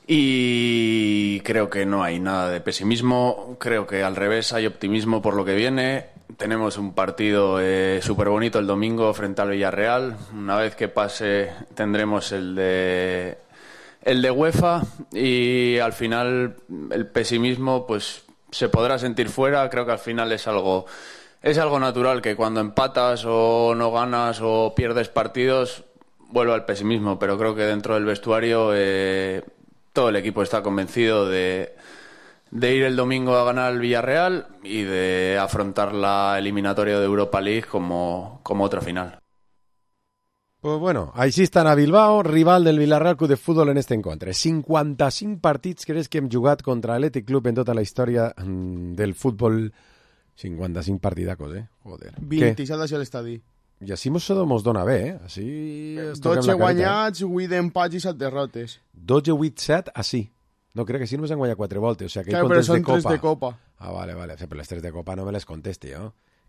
y creo que no hay nada de pesimismo, creo que al revés hay optimismo por lo que viene. Tenemos un partido súper bonito el domingo frente al Villarreal. Una vez que pase tendremos el de UEFA y al final el pesimismo pues se podrá sentir fuera. Creo que al final es algo natural que cuando empatas o no ganas o pierdes partidos vuelva el pesimismo, pero creo que dentro del vestuario todo el equipo está convencido de ir el domingo a ganar al Villarreal y de afrontar la eliminatoria de Europa League como otra final. Pues bueno, així estan a Bilbao, rival del Villarreal Club de Futbol en este encontre. 55 partits creus que hem jugat contra l'Athletic Club en tota la història del futbol. 55 partidacos, Joder. 27 hacia l'estadi. I així mos dona bé, Així 12 guanyats, 8 empats i 7 derrotes. 12, 8, 7, així. No, crec que sí només han guanyat 4 voltes. O sigui, que claro, però són 3 de Copa. Ah, vale. Però les 3 de Copa no me les contesti,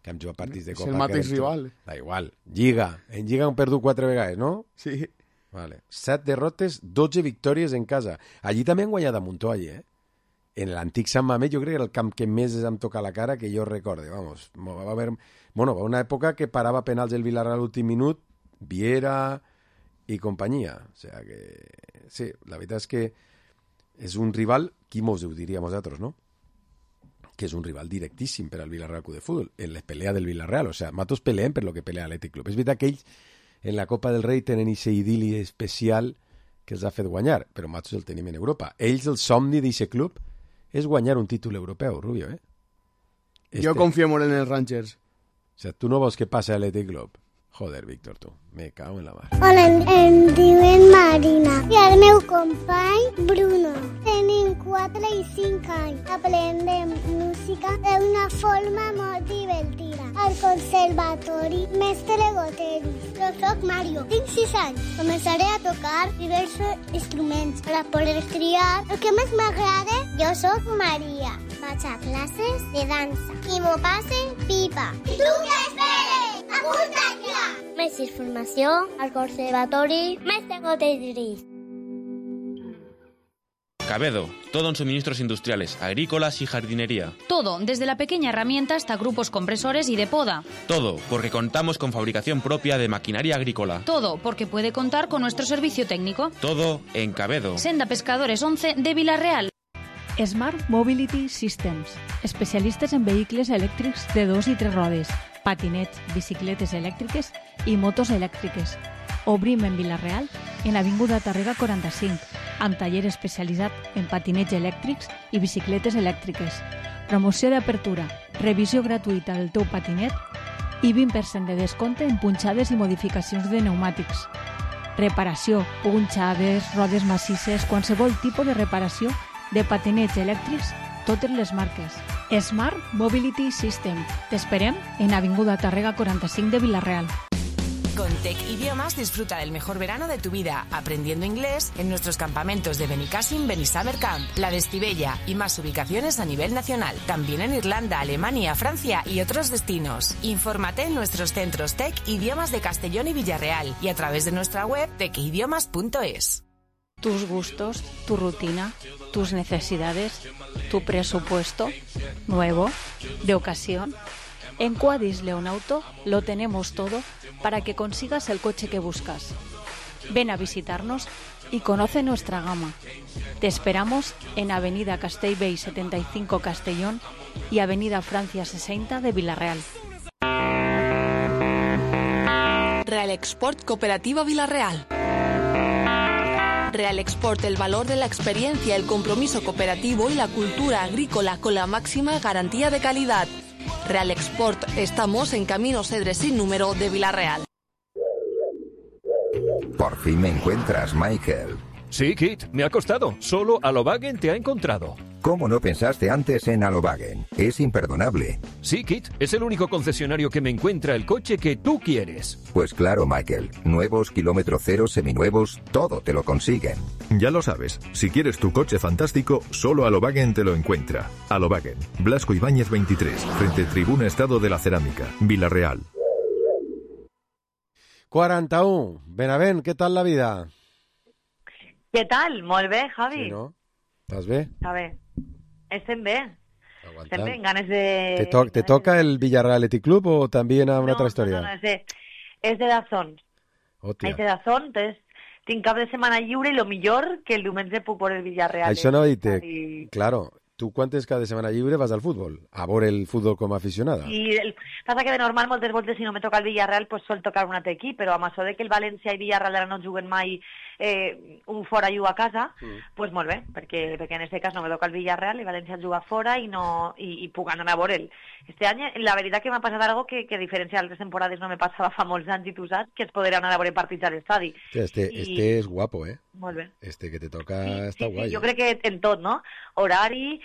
que hem jugat partits de Copa. És el mateix rival. Da igual. Lliga. En Lliga han perdut 4 vegades, no? Sí. Vale. 7 derrotes, 12 victòries en casa. Allí també han guanyat a Muntó, En l'antic Sant Mamés, jo crec que era el camp que més em toca la cara que jo recorde. Vamos, va haver una època que parava penals el Villarreal a l'últim minut, Viera i companyia. O sigui que, sí, la veritat és que és un rival, qui mos ho diríem nosaltres, no? Que és un rival directíssim per al Villarreal Club de Futbol, en les pelees del Villarreal. O sigui, nosaltres peleem per lo que pelea l'Athletic Club. És veritat que ells en la Copa del Rei tenen aquest idili especial que els ha fet guanyar, però nosaltres el tenim en Europa. Ells, el somni d'aquest club és guanyar un títol europeu, Rubio, Jo confio molt en els Rangers. O sigui, tu no vols que passi a l'Athletic Club? Joder, Víctor, tu. Me cago en la mar. Hola, em diuen Marina. I el meu company, Bruno. Tenim 4 i 5 anys. Aprendem música d'una forma molt divertida. Al conservatori Mestre Goteris. Jo soc Mario. Tinc 6 anys. Començaré a tocar diversos instruments per a poder triar el que més m'agrada. Jo soc Maria. Vaig a classes de dansa. I m'ho passe pipa. I tu què esperes? Apunta't ja! Més informació al conservatori Mestre Goteris. Cabedo, todo en suministros industriales, agrícolas y jardinería. Todo, desde la pequeña herramienta hasta grupos compresores y de poda. Todo, porque contamos con fabricación propia de maquinaria agrícola. Todo, porque puede contar con nuestro servicio técnico. Todo en Cabedo. Senda Pescadores 11 de Vila-real. Smart Mobility Systems, especialistes en vehicles elèctrics de 2 i 3 rodes, patinets, bicicletes elèctriques i motos elèctriques. Obrim en Vila-real, en l'Avinguda Tàrrega 45, amb taller especialitzat en patinets elèctrics i bicicletes elèctriques. Promoció d'apertura, revisió gratuïta del teu patinet i 20% de descompte en punxades i modificacions de pneumàtics. Reparació, punxades, rodes massisses, qualsevol tipus de reparació de patinets elèctrics, totes les marques. Smart Mobility System. T'esperem en Avinguda Tàrrega 45 de Vila-real. Con Tec Idiomas disfruta del mejor verano de tu vida, aprendiendo inglés en nuestros campamentos de Benicàssim, Benissaber Camp, la de Estivella y más ubicaciones a nivel nacional. También en Irlanda, Alemania, Francia y otros destinos. Infórmate en nuestros centros Tec Idiomas de Castellón y Villarreal y a través de nuestra web tecidiomas.es. Tus gustos, tu rutina, tus necesidades, tu presupuesto, nuevo, de ocasión. En Quadis León Auto lo tenemos todo para que consigas el coche que buscas. Ven a visitarnos y conoce nuestra gama. Te esperamos en Avenida Castellbell 75 Castellón y Avenida Francia 60 de Vila-real. Real Export Cooperativa Vila-real. Real Export, el valor de la experiencia, el compromiso cooperativo y la cultura agrícola con la máxima garantía de calidad. Real Export, estamos en Camino Cedre sin número de Vila-real. Por fin me encuentras, Michael. Sí, Kit, me ha costado. Solo Alobagen te ha encontrado. ¿Cómo no pensaste antes en Alovagen? Es imperdonable. Sí, Kit, es el único concesionario que me encuentra el coche que tú quieres. Pues claro, Michael. Nuevos, kilómetro cero, seminuevos, todo te lo consiguen. Ya lo sabes, si quieres tu coche fantástico, solo Alovagen te lo encuentra. Alovagen, Blasco Ibáñez 23, frente Tribuna Estado de la Cerámica, Vila-real. 41. Benavent, què tal la vida? Què tal? Molt bé, Javi. Sí, no? Estàs bé? A ver, estem bé. Estem bé, en ganes de... ¿Te toca el Villarreal Athletic Club o también a una otra historia? No, és de Dazón. Hòstia. És de Dazón, entonces tinc cap de setmana lliure i lo millor que el diumenge puc veure el Villarreal. Això no dir-te, claro, tu quan tens cada setmana lliure vas al futbol, a veure el futbol com a aficionada. I passa que de normal moltes voltes si no me toca el Villarreal pues sol tocar un altre equip, però amb això de que el València i Villarreal ara no juguen mai un fora i un a casa, pues molt bé, perquè en aquest cas no me toca el Villarreal i València juga fora i puc anar a veure'l. Este any la veritat que m'ha passat algo que a diferència d'altres temporades no me passava fa molts anys i tu saps que es podrà anar a veure partits a l'estadi. Este és guapo, Molt bé. Este que te toca està guai. Jo crec que en tot, no? Horari,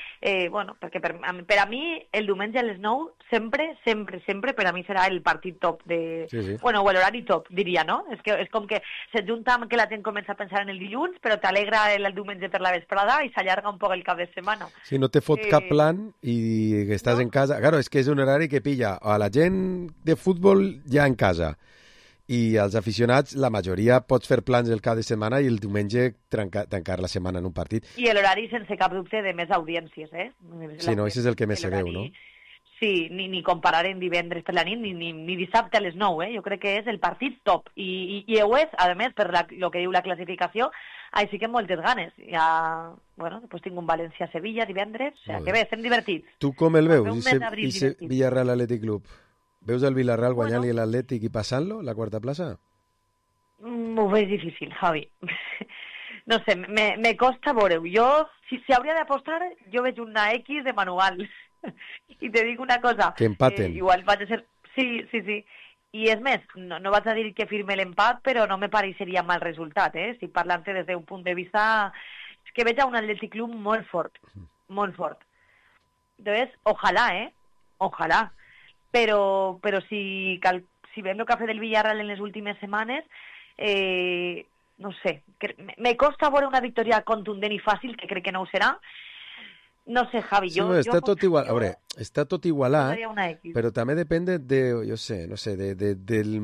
bueno, perquè per a mi el diumenge a les 9 sempre per a mi serà el partit top de... Sí. Bueno, o l'horari top, diria, no? És com que se't junta amb que la gent comença a pensar en el dilluns, però t'alegra el diumenge per la vesprada i s'allarga un poc el cap de setmana. Sí, no te fot cap plan i que estàs en casa. Claro, és que és un horari que pilla a la gent de futbol ja en casa. I als aficionats, la majoria pots fer plans el cap de setmana i el diumenge tancar la setmana en un partit. I l'horari sense cap dubte de més audiències, Sí, no, això és el que més se veu, no? Sí, ni comparar en divendres per la nit, ni dissabte a les 9, Jo crec que és el partit top. I ho és, a més, per lo que diu la classificació, així que moltes ganes. Ja, bueno, després tinc un València-Sevilla divendres, o sigui que bé, estem divertits. Tu com el veus, i Villarreal Athletic Club? Veus el Villarreal guanyant-li l'Atlètic i passant-lo, la quarta plaça? Ho veig difícil, Javi. No sé, me costa veure-ho. Jo, si hauria d'apostar, jo veig una X de manual. I te dic una cosa. Que empaten. Igual vaig a ser... Sí. I és més, no vaig a dir que firme l'empat, però no me pareixeria mal resultat, Si parlant-te des d'un punt de vista... És que veig a un Athletic Club molt fort. Molt fort. Entonces, ojalà, Ojalà. Però si veiem el que ha fet el Villarreal en les últimes setmanes, no sé, me costa veure una victòria contundent i fàcil, que crec que no ho serà. No sé, Javi, sí, està tot igual. A veure, està tot igualat, però també depèn de, no sé, del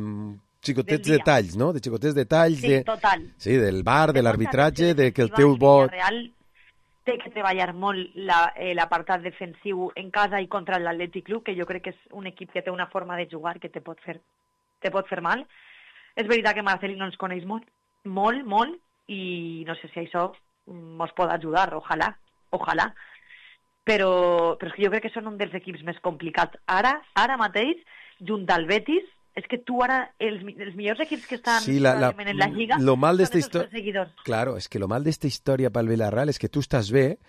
xicotets detalls, no? De xicotets detalls, sí, total. Sí, del bar, de l'arbitratge, de que el teu vot... Té que treballar molt l'apartat defensiu en casa i contra l'Atlètic Club, que jo crec que és un equip que té una forma de jugar que te pot fer mal. És veritat que Marcelino ens coneix molt, i no sé si això ens pot ajudar, ojalà. Però és que jo crec que són un dels equips més complicats. Ara mateix, junt al Betis, és que tu ara, els millors equips que estan en la Lliga lo mal són els perseguidors. Claro, és que lo mal d'esta història pel Villarreal és que tu estàs bé,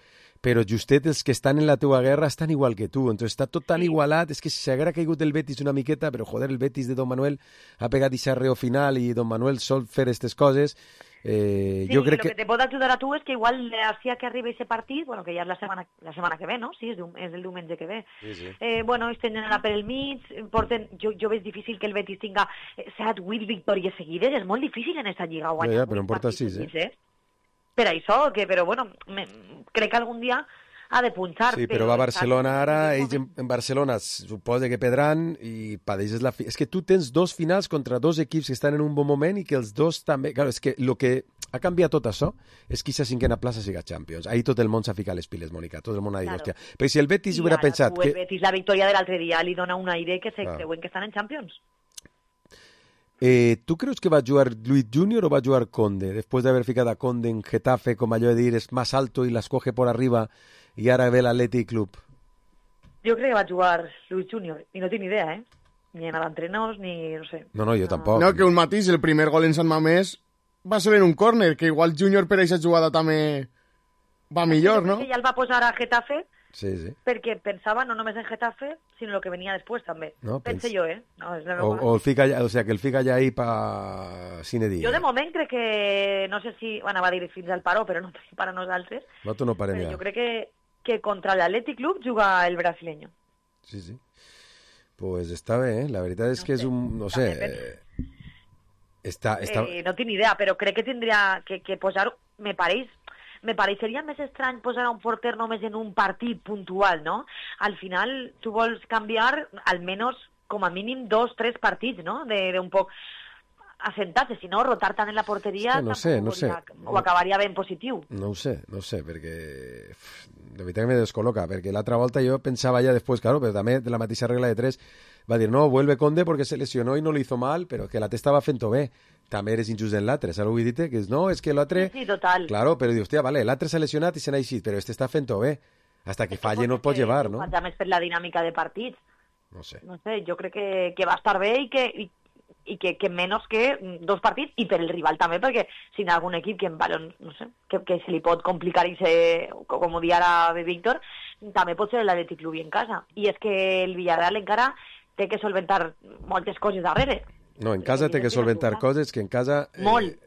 però justet els que estan en la teua guerra estan igual que tu, entonces està tot tan igualat, és que s'haguera caigut el Betis una miqueta, però joder, el Betis de Don Manuel ha pegat i xarreo final i Don Manuel sol fer aquestes coses. Sí, jo crec que te pot ajudar a tu és que igual hacía que arribi aquest partit, bueno, que ja és la setmana que ve, no? Sí, és el diumenge que ve. Sí. Bueno, es tenen anar per el mig, jo veig difícil que el Betis tinga 7-8 victòries seguides, és molt difícil en aquesta lliga guanyar. Ja, però en porta 6, Per això, però bueno, crec que algun dia ha de punxar. Sí, però va a Barcelona ara, ells en Barcelona suposa que perdran i padeixes la... És que tu tens dos finals contra dos equips que estan en un bon moment i que els dos també... Claro, és que el que ha canviat tot això és que aquesta cinquena plaça siga Champions. Ahí tot el món s'ha ficat les piles, Mònica. Tot el món ha dit, hòstia. Però si el Betis hubiera pensat... El Betis, la victòria de l'altre dia li dona un aire que se creuen que estan en Champions. ¿Tú crees que va a jugar Luis Junior o va a jugar Conde? Después de haber ficado a Conde en Getafe, como yo de ir, es más alto y las coge por arriba y ahora ve el Athletic Club. Yo creo que va a jugar Luis Junior y no tiene idea, Ni en l'entrenadors, ni no sé. No, jo tampoc. No, que un matís, el primer gol en Sant Mamés va ser en un córner, que igual Junior per aquesta jugada també va millor, no? Ja el va posar a Getafe. Sí. Perquè pensava no només en Getafe, sinó el que venia després també. No, Pense jo, No, és la o el fica allà, o sea, que el fica allà ahí pa cine dia. Jo de moment crec que, no sé si, bueno, va dir fins al paró, però no per a nosaltres. No, tu no parem ja. Jo crec que contra l'Athletic Club juga el brasileño. Sí. Pues està bé, La veritat és que és un... No sé... No tinc idea, però crec que tindria que posar... Me pareixeria més estrany posar a un porter només en un partit puntual, no? Al final, tu vols canviar almenys, com a mínim, 2-3 partits, no? De un poc assentar-se, si no, rotar tant en la porteria no sé. Ho acabaria ben positiu. No ho sé, perquè de veritat que me descol·loca, perquè l'altra volta jo pensava ja després, claro, però també de la mateixa regla de 3 va dir, no, vuelve Conde porque se lesionó y no lo hizo mal, pero que l'altre estava fent-ho bé. També eres injust en l'altre, saps el que vull dir? Que no, és que l'altre... Sí, total. Claro, però dius, hòstia, vale, l'altre s'ha lesionat i se n'ha eixit, però este està fent-ho bé. Hasta que falle no el pot llevar, no? Ja més per la dinàmica de partits. No sé, jo crec que va estar bé i que menys que 2 partits, i per el rival també, perquè si hi ha algun equip que en balon, no sé, que se li pot complicar i com ho dia ara de Víctor, també pot ser l'Athletic Club en casa. I és que el Villarreal encara té que solventar moltes coses darrere. No, en casa té que solventar coses que en casa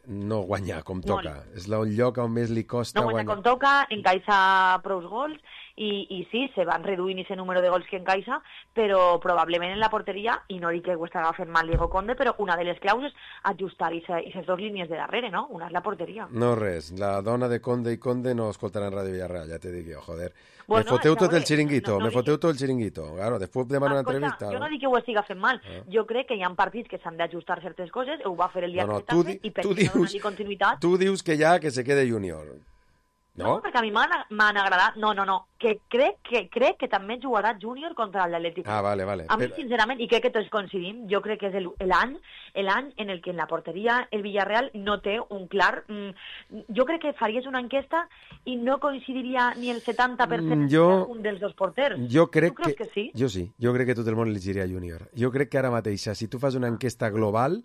no guanyar com toca. És un lloc on més li costa guanyar. No guanyar com toca, encaixa prou gols, i sí, se van reduint ese número de gols que encaixa, però probablement en la porteria, i no dic que ho estarà fent mal Diego Conde, però una de les claus és ajustar aquestes 2 línies de darrere, no? Una és la porteria. No res, la dona de Conde i Conde no escoltaran Ràdio Villarreal, ja te dic jo, joder. Me foteu tot el xiringuito, Claro, després demanar una entrevista. Jo no dic que ho estiga fent mal, jo crec que hi ha partits que s'han d'ajustar certes coses, ho va fer el dia que també, i per què no donar-li continuïtat... Tu dius que ja que se quede Júnior. No, perquè a mi m'han agradat. No, que crec que també jugarà Júnior contra l'Atlètic. Vale. A mi, sincerament, i crec que tots coincidim, jo crec que és l'any en el que en la porteria el Villarreal no té un clar... Jo crec que faries una enquesta i no coincidiria ni el 70% un dels 2 porters. Jo crec tu creus que sí? Jo sí, jo crec que tot el món elegiria Júnior. Jo crec que ara mateix, si tu fas una enquesta global...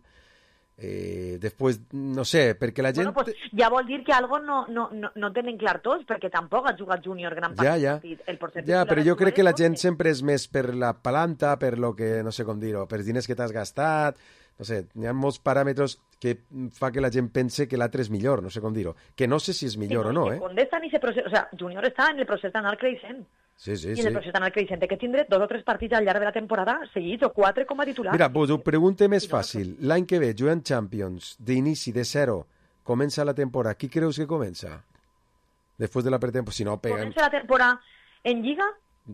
després, no sé, perquè la gent... Pues ja vol dir que algo no tenen clar tots, perquè tampoc ha jugat Júnior gran part del partit. Però jo crec que la gent sempre és més per la palanta, per lo que, no sé com dir-ho, per diners que t'has gastat, no sé, hi ha molts paràmetres que fa que la gent pense que l'altre és millor, no sé com dir-ho, que no sé si és millor o no, Condé està en ese procés, o sea, Júnior està en el procés d'anar creixent. Sí. I en el procés d'anar creixent que tindré 2 o 3 partits al llarg de la temporada seguits o 4 com a titular. Mira, pues ho pregunte més fàcil. L'any que ve, jugant Champions, d'inici, de 0, comença la temporada. Qui creus que comença? Després de la pretemporada, si no pegan... Comença la temporada en Lliga?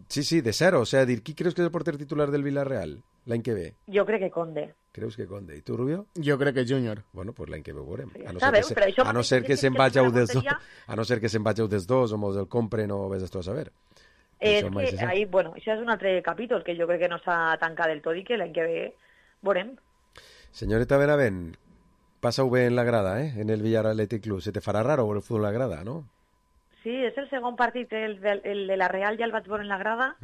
Sí, de 0. O sea, dir, qui creus que és el porter titular del Villarreal l'any que ve? Jo crec que Conde. Creus que Conde. I tu, Rubio? Jo crec que Júnior. Bueno, pues l'any que ve ho veurem. A no ser que se'n vagi un dels 2 o mos el compren o vés a saber. És que ahí, això és un altre capítol que jo crec que no s'ha tancat del tot i que l'any que ve veurem. Senyoreta Benavent, passa-ho bé en la grada, en el Villarreal Athletic Club. Se te farà raro veure el futbol en la grada, no? Sí, és el segon partit, el de la Real ja el vaig veure en la grada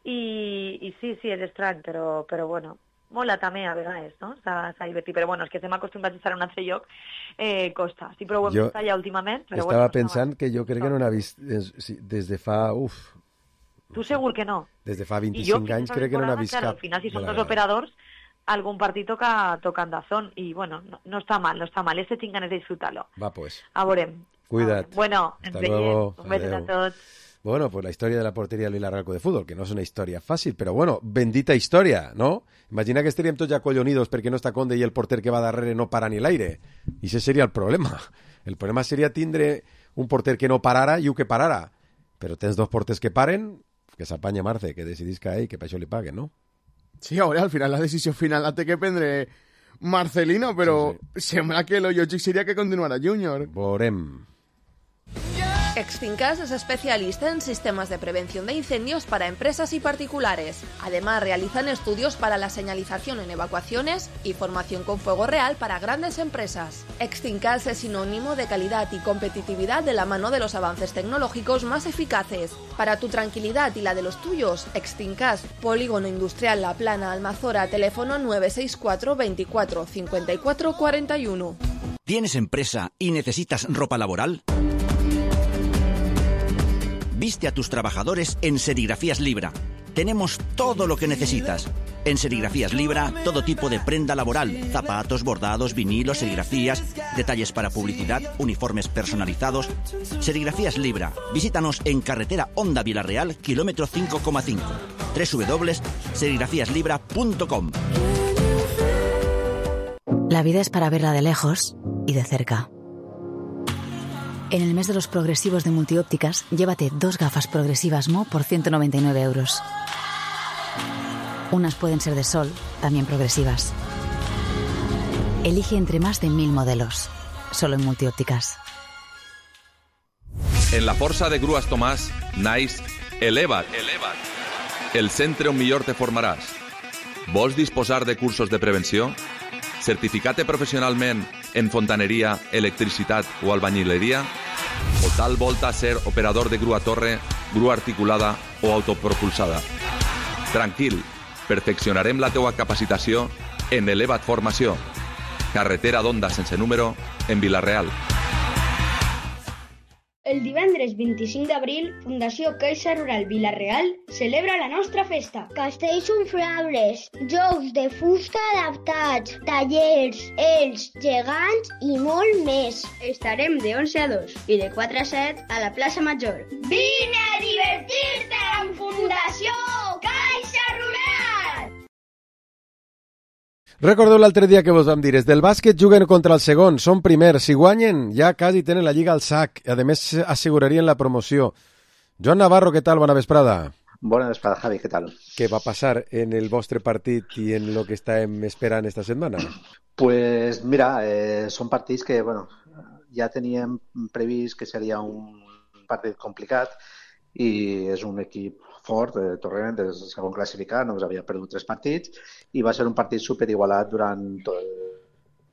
i sí, és estrany, però bueno, mola també a vegades, no? S'ha divertit, però bueno, és que estem acostumbrats a estar en un altre lloc, costa. Sí, però ho hem vist allà últimament. Estava pensant que jo crec que no n'ha vist des de fa... Tu segur que no. Des de fa 25 anys crec que no n'ha vist cap. Al final, si són 2 operadors, algun partit toca en Dazón. I bueno, no està mal. Este tinc ganes de disfrutar-lo. Va, pues. A veurem. Cuida't. Bueno, ens veiem. Un beso a tots. Bueno, pues la historia de la portería del Villarreal de Fútbol, que no es una historia fácil, pero bueno, bendita historia, ¿no? Imagina que estaríem tots ja collonidos perquè no està Conde i el porter que va darrere no para ni l'aire. I ese seria el problema. El problema seria tindre un porter que no parara i un que parara. Però tens 2 porters que paren, que s'apanya Marce, que decidisca ell, que per això li paguen, no? Sí, ara al final la decisió final la té que prendre Marcelino, però sembla que lo lògic seria que continuara Júnior. Veurem. Extincas es especialista en sistemas de prevención de incendios para empresas y particulares. Además, realizan estudios para la señalización en evacuaciones y formación con fuego real para grandes empresas. Extincas es sinónimo de calidad y competitividad de la mano de los avances tecnológicos más eficaces. Para tu tranquilidad y la de los tuyos, Extincas, Polígono Industrial La Plana, Almazora, teléfono 964 24 54 41. ¿Tienes empresa y necesitas ropa laboral? Viste a tus trabajadores en Serigrafías Libra. Tenemos todo lo que necesitas. En Serigrafías Libra, todo tipo de prenda laboral, zapatos, bordados, vinilos, serigrafías, detalles para publicidad, uniformes personalizados. Serigrafías Libra. Visítanos en carretera Honda Vilarreal, kilómetro 5,5. www.serigrafíaslibra.com. La vida es para verla de lejos y de cerca. En el mes de los progresivos de Multiópticas, llévate 2 gafas progresivas Mo por 199 euros. Unas pueden ser de sol, también progresivas. Elige entre más de 1000 modelos. Solo en Multiópticas. En la Força de Grues Tomàs, naix Eleva't. El centre on millor te formaràs. Vols disposar de cursos de prevenció? Certificat professionalment en fontaneria, electricitat o albañileria? O tal volta ser operador de grua torre, grua articulada o autopropulsada? Tranquil, perfeccionarem la teua capacitació en Eleva't Formació. Carretera d'Onda sense número, en Vila-real. El divendres 25 d'abril, Fundació Caixa Rural Vila-real celebra la nostra festa. Castells inflables, jocs de fusta adaptats, tallers, ells, gegants i molt més. Estarem de 11 a 2 i de 4 a 7 a la plaça Major. Vine a divertir-te amb Fundació Caixa Rural! Recordeu l'altre dia que vos vam dir, des del bàsquet juguen contra el segon, són primers, si guanyen ja quasi tenen la lliga al sac, a més assegurarien la promoció. Joan Navarro, què tal? Bona vesprada. Bona vesprada, Javi, què tal? Què va passar en el vostre partit i en lo que estem esperant esta setmana? Pues mira, són partits que, bueno, ja teníem previst que seria un partit complicat i és un equip fort, Torrent, és el segon classificat, només havia perdut 3 partits i va ser un partit superigualat durant tot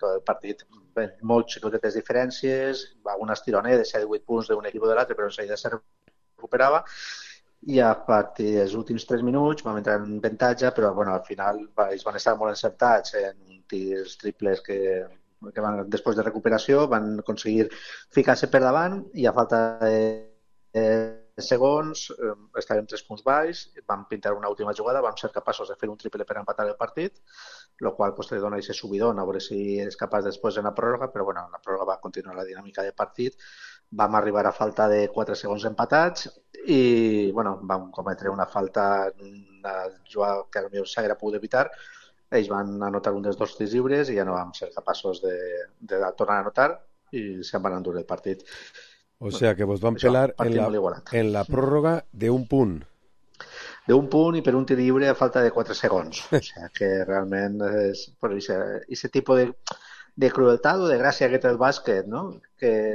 el partit. Bé, molt xicotetes diferències, un estironer de 7-8 punts d'un equip o de l'altre, però enseguida se recuperava i a partir dels últims 3 minuts vam entrar en avantatge, però bueno, al final ells van estar molt encertats en tirs triples que van, després de recuperació van aconseguir ficar-se per davant i a falta de segons, estàvem 3 punts baix, vam pintar una última jugada, vam ser capaços de fer un triple per empatar el partit, el qual pues, te dona aquest subidón, a veure si és capaç després en la pròrroga, però bueno, en la pròrroga va continuar la dinàmica del partit, vam arribar a falta de 4 segons empatats i bueno, vam cometre una falta, una jugada que potser s'hauria pogut evitar, ells van anotar un dels 2 tirs lliures i ja no vam ser capaços de tornar a anotar i se'n van endur el partit. O sea, que vos van pelar en la pròrroga d'un punt. D'un punt i per un tir lliure a falta de 4 segons. O sea, que realment és per aquest tipus de crueltat o de gràcia que té el bàsquet, no? Que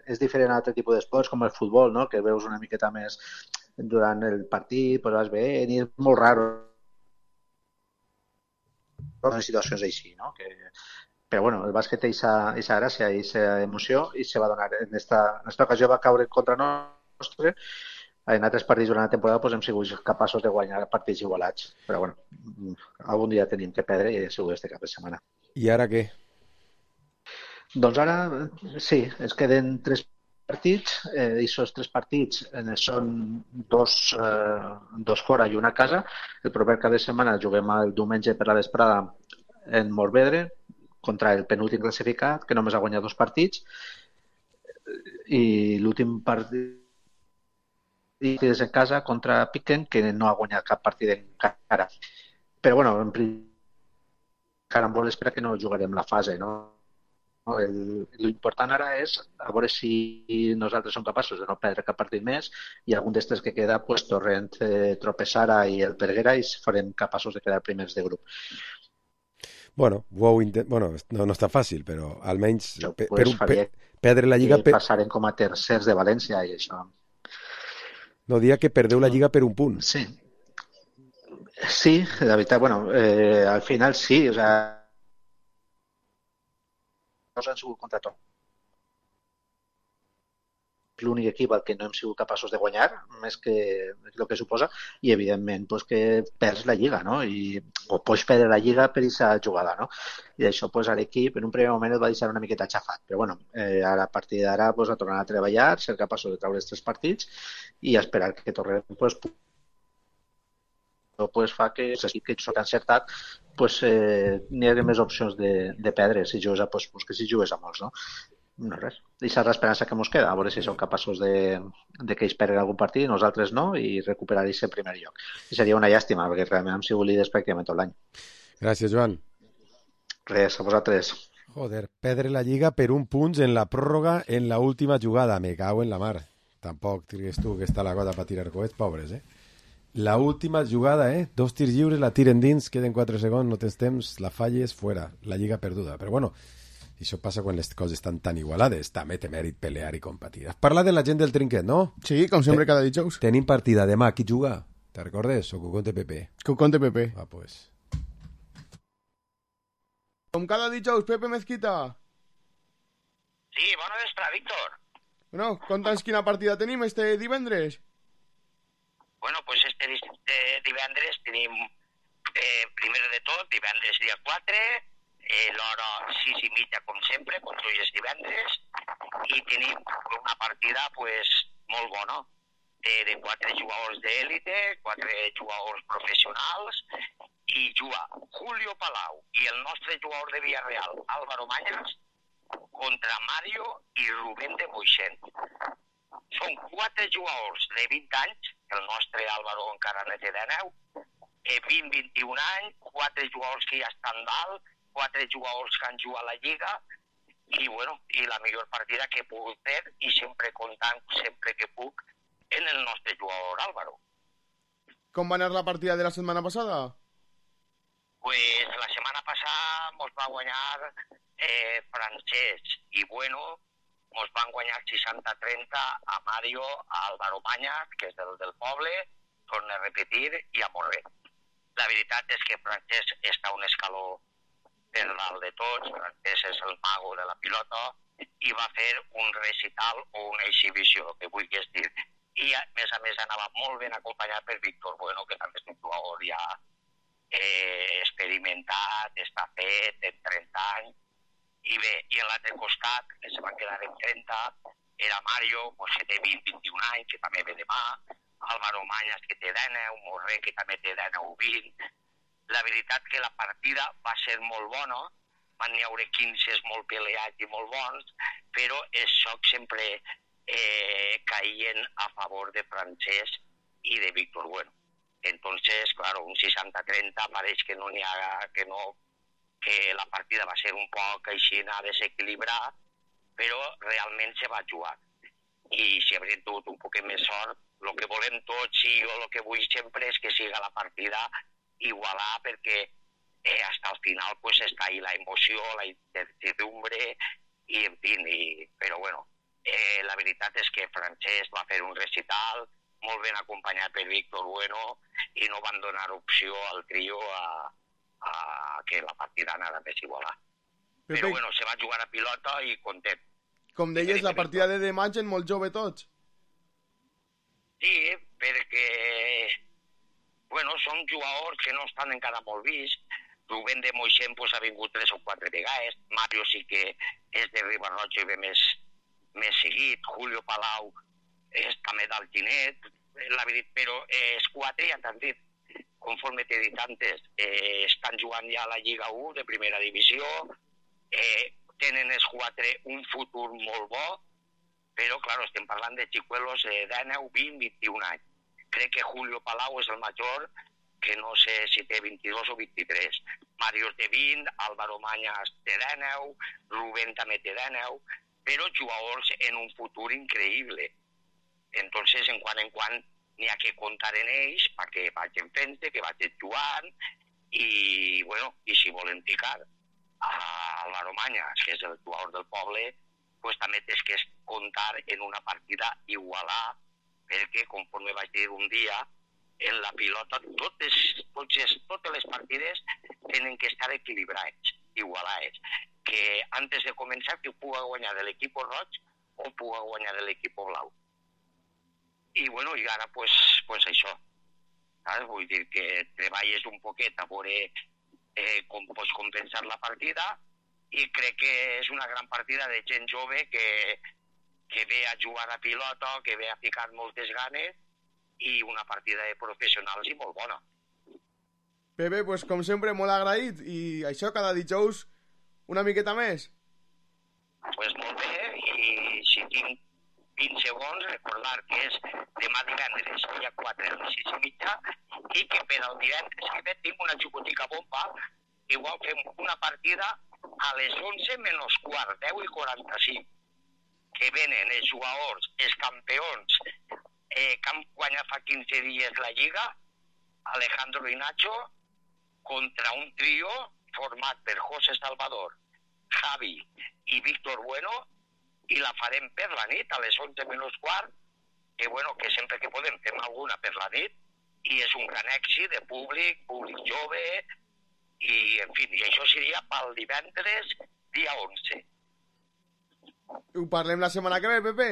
és diferent a altre tipus d'esports com el futbol, no? Que veus una miqueta més durant el partit, però vas veient i és molt raro en situacions així, no? Però bueno, el bàsquet té aquesta gràcia i aquesta emoció i se va donar. En esta ocasió va caure contra nostre. En altres partits durant la temporada pues, hem sigut capaços de guanyar partits igualats. Però bueno, algun dia tenim que perdre i ha sigut este cap de setmana. I ara què? Doncs ara, sí, es queden 3 partits i aquests 3 partits són 2 fora i una a casa. El proper cap de setmana juguem el diumenge per la vesprada en Morvedre contra el penúltim classificat, que només ha guanyat 2 partits, i l'últim partit és en casa contra Piquen, que no ha guanyat cap partit encara. Però, bueno, en principi, encara em vol esperar que no jugarem la fase, no? L'important ara és a veure si nosaltres som capaços de no perdre cap partit més i algun d'estes que queda, pues, Torrent, Tropesara i el Perguera, i farem capaços de quedar primers de grup. Bueno, no està fàcil, però almenys perdre la Lliga... Passarem com a tercers de València i això. No, dia que perdeu la Lliga per un punt. Sí. Sí, la veritat, bueno, al final sí, o sea, no han sigut contra tot. L'únic equip al que no hem sigut capaços de guanyar, més que el que suposa, i evidentment pues, que perds la Lliga, no? O pots perdre la Lliga per aquesta jugada, no? I això pues, a l'equip en un primer moment et va deixar una miqueta xafat, però bueno, a partir d'ara pues, a tornar a treballar, ser capaços de treure els 3 partits i esperar que Torrent pues, pues, fa que l'equip que s'ha encertat pues, n'hi hagi més opcions de perdre si jugues a pues que si jugues a molts, no? No res. Deixar l'esperança que ens queda, a veure si som capaços de que ells perguen algun partit, nosaltres no, i recuperar aquest primer lloc. I seria una llàstima, perquè realment hem sigut líders pràcticament tot l'any. Gràcies, Joan. Res, a vosaltres. Joder, perdre la Lliga per un punt en la pròrroga en la última jugada. Me cago en la mar. Tampoc digues tu que està la cosa per tirar coets, pobres, La última jugada, 2 tirs lliures, la tiren dins, queden 4 segons, no tens temps, la falles, fuera, la Lliga perduda. Però bueno, això passa quan les coses estan tan igualades. També té mèrit pelear i competir. Has parlat de la gent del trinquet, no? Sí, com sempre cada dijous. Tenim partida demà. Qui juga? Te recordes? O Cucón TPP? Cucón TPP. Ah, pues. Com cada dijous, Pepe Mezquita. Sí, bona vesprada, Víctor. Bueno, conta'ns quina partida tenim este divendres. Bueno, pues este divendres tenim, primer de tot, divendres dia 4, l'hora 6:30, com sempre, com tots els divendres, i tenim una partida pues, molt bona, de 4 jugadors d'élite, 4 jugadors professionals, i juga Julio Palau i el nostre jugador de Villarreal, Álvaro Mañas, contra Mario i Rubén de Moixent. Són 4 jugadors de 20 anys, el nostre Álvaro encara no té 19, 20-21 anys, 4 jugadors que ja estan dalt, 4 jugadors que han jugat a la Lliga, i bueno, i la millor partida que he pogut fer, i sempre comptant, sempre que puc, en el nostre jugador Álvaro. Com va anar la partida de la setmana passada? Pues la setmana passada ens va guanyar Francesc i Bueno, ens van guanyar 60-30 a Mario, a Álvaro Mañas, que és del poble, torna a repetir, i a Morrer. La veritat és que Francesc està un escaló per dalt de tots, Francesc és el mago de la pilota, i va fer un recital o una exhibició, que vulguis dir. I a més anava molt ben acompanyat per Víctor Bueno, que també és un jugador ja experimentat, està fet, en 30 anys. I bé, i a l'altre costat, que se van quedar en 30, era Mario, que té 20-21 anys, que també ve demà, Álvaro Mañas, que té 19, Morrer, que també té 19-20. La veritat que la partida va ser molt bona, van hi haure 15 molt peleats i molt bons, però els xocs sempre caien a favor de Francesc i de Víctor Bueno. Entonces, claro, un 60-30 pareix que no n'hi ha, que la partida va ser un poc així a desequilibrar, però realment se va jugar. I si haurem tingut un poc més sort, el que volem tots i jo el que vull sempre és que siga la partida igualar, perquè hasta el final pues està ahí la emoció, la incertidumbre, i en fi, però bueno, la veritat és que Francesc va fer un recital molt ben acompanyat per Víctor Bueno i no van donar opció al trio a que la partida anara més igualar. Però bueno, se va jugar a pilota i content. Com deies, la partida de demà gent molt jove tots. Sí, perquè bueno, són jugadors que no estan encara molt vist. Rubén de Moixent pues, ha vingut 3 o 4 vegades. Mario sí que és de Ribarroja i ve més seguit. Julio Palau és també d'Alginet, la veritat, però els 4 ja t'han dit, conforme t'he dit antes, estan jugant ja a la Lliga 1 de primera divisió, tenen els 4 un futur molt bo, però, clar, estem parlant de xicuelos de 19, 20, 21 anys. Crec que Julio Palau és el major, que no sé si té 22 o 23. Mario té 20, Álvaro Mañas té 19, Rubén també té 19, però jugadors en un futur increïble. Entonces, en quan n'hi ha que comptar en ells perquè vagin fent-se, que vagin jugant, i, bueno, i si volen picar a Álvaro Mañas, que és el jugador del poble, pues també tens que comptar en una partida igualar, perquè, conforme vaig dir un dia, en la pilota totes les partides tenen que estar equilibrats, igualats, que antes de començar que puga guanyar de l'equip roig o puga guanyar de l'equip blau. I bueno, i ara pues això, saps? Vull dir que treballes un poquet a veure com pots compensar la partida, i crec que és una gran partida de gent jove que ve a jugar a pilota, que ve a ficar moltes ganes, i una partida de professionals i molt bona. Pepe, pues com sempre, molt agraït. I això, cada dijous, una miqueta més. Pues molt bé, i si tinc 20 segons, recordar que és demà divendres, dia 4 a les 6:30, i que per al divendres que ve tinc una xucotica bomba, igual fem una partida a les 11 menys quart, 10:45, que venen els jugadors, els campions, que han guanyat fa 15 dies la Lliga, Alejandro i Nacho, contra un trio format per José Salvador, Javi i Víctor Bueno, i la farem per la nit, a les 11 menys quart, que bueno, que sempre que podem fem alguna per la nit, i és un gran èxit de públic jove, i en fi, i això seria pel divendres, dia 11. Ho parlem la setmana que ve, Pepe?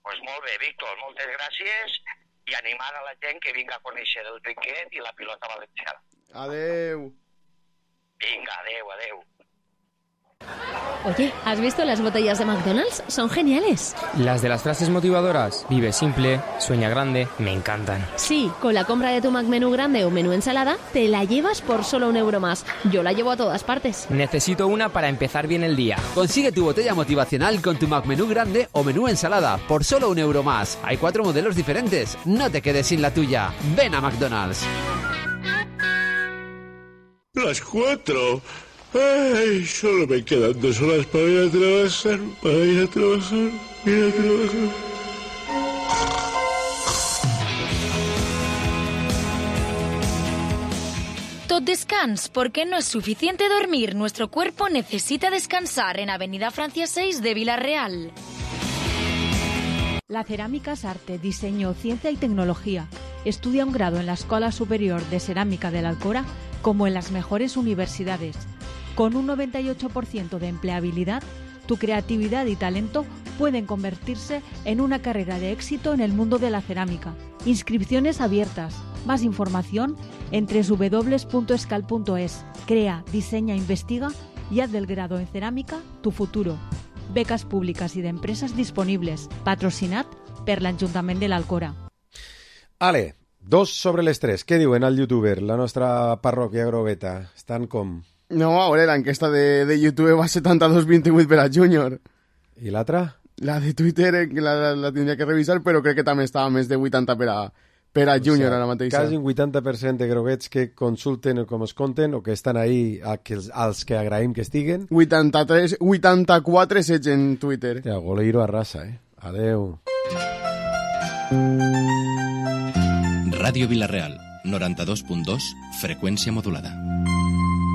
Pues molt bé, Víctor, moltes gràcies, i animar a la gent que vinga a conèixer el criquet i la pilota valenciana. Adeu. Vinga, adeu, adeu. Oye, ¿has visto las botellas de McDonald's? Son geniales. Las de las frases motivadoras, vive simple, sueña grande, me encantan. Sí, con la compra de tu McMenú grande o menú ensalada, te la llevas por solo €1 más. Yo la llevo a todas partes. Necesito una para empezar bien el día. Consigue tu botella motivacional con tu McMenú grande o menú ensalada por solo €1 más. Hay 4 modelos diferentes. No te quedes sin la tuya. Ven a McDonald's. Las 4. Ay, solo me quedan 2 horas para ir a trabajar. Tot descans, porque no es suficiente dormir. Nuestro cuerpo necesita descansar en Avenida Francia 6 de Villarreal. La cerámica es arte, diseño, ciencia y tecnología. Estudia un grado en la Escuela Superior de Cerámica de la Alcora como en las mejores universidades. Con un 98% de empleabilidad, tu creatividad y talento pueden convertirse en una carrera de éxito en el mundo de la cerámica. Inscripciones abiertas. Más información en www.escal.es. Crea, diseña, investiga y haz del grado en cerámica tu futuro. Becas públicas y de empresas disponibles. Patrocinat per l'Ajuntament de l'Alcora. Ale, 2 sobre les 3. Què diuen al youtuber, la nostra parròquia Groveta? Estan com... No, a veure, l'enquesta de YouTube va 72-28 per a Júnior. I l'altra? La de Twitter, que la tindria que revisar, però crec que també estava més de 80 per a Júnior ara mateix. Quasi un 80% de groguets que consulten o com es compten o que estan ahí als que agraïm que estiguen. 84 seguits en Twitter. Ja, goleiro a raça, Adeu. Ràdio Vilareal, 92.2, freqüència modulada.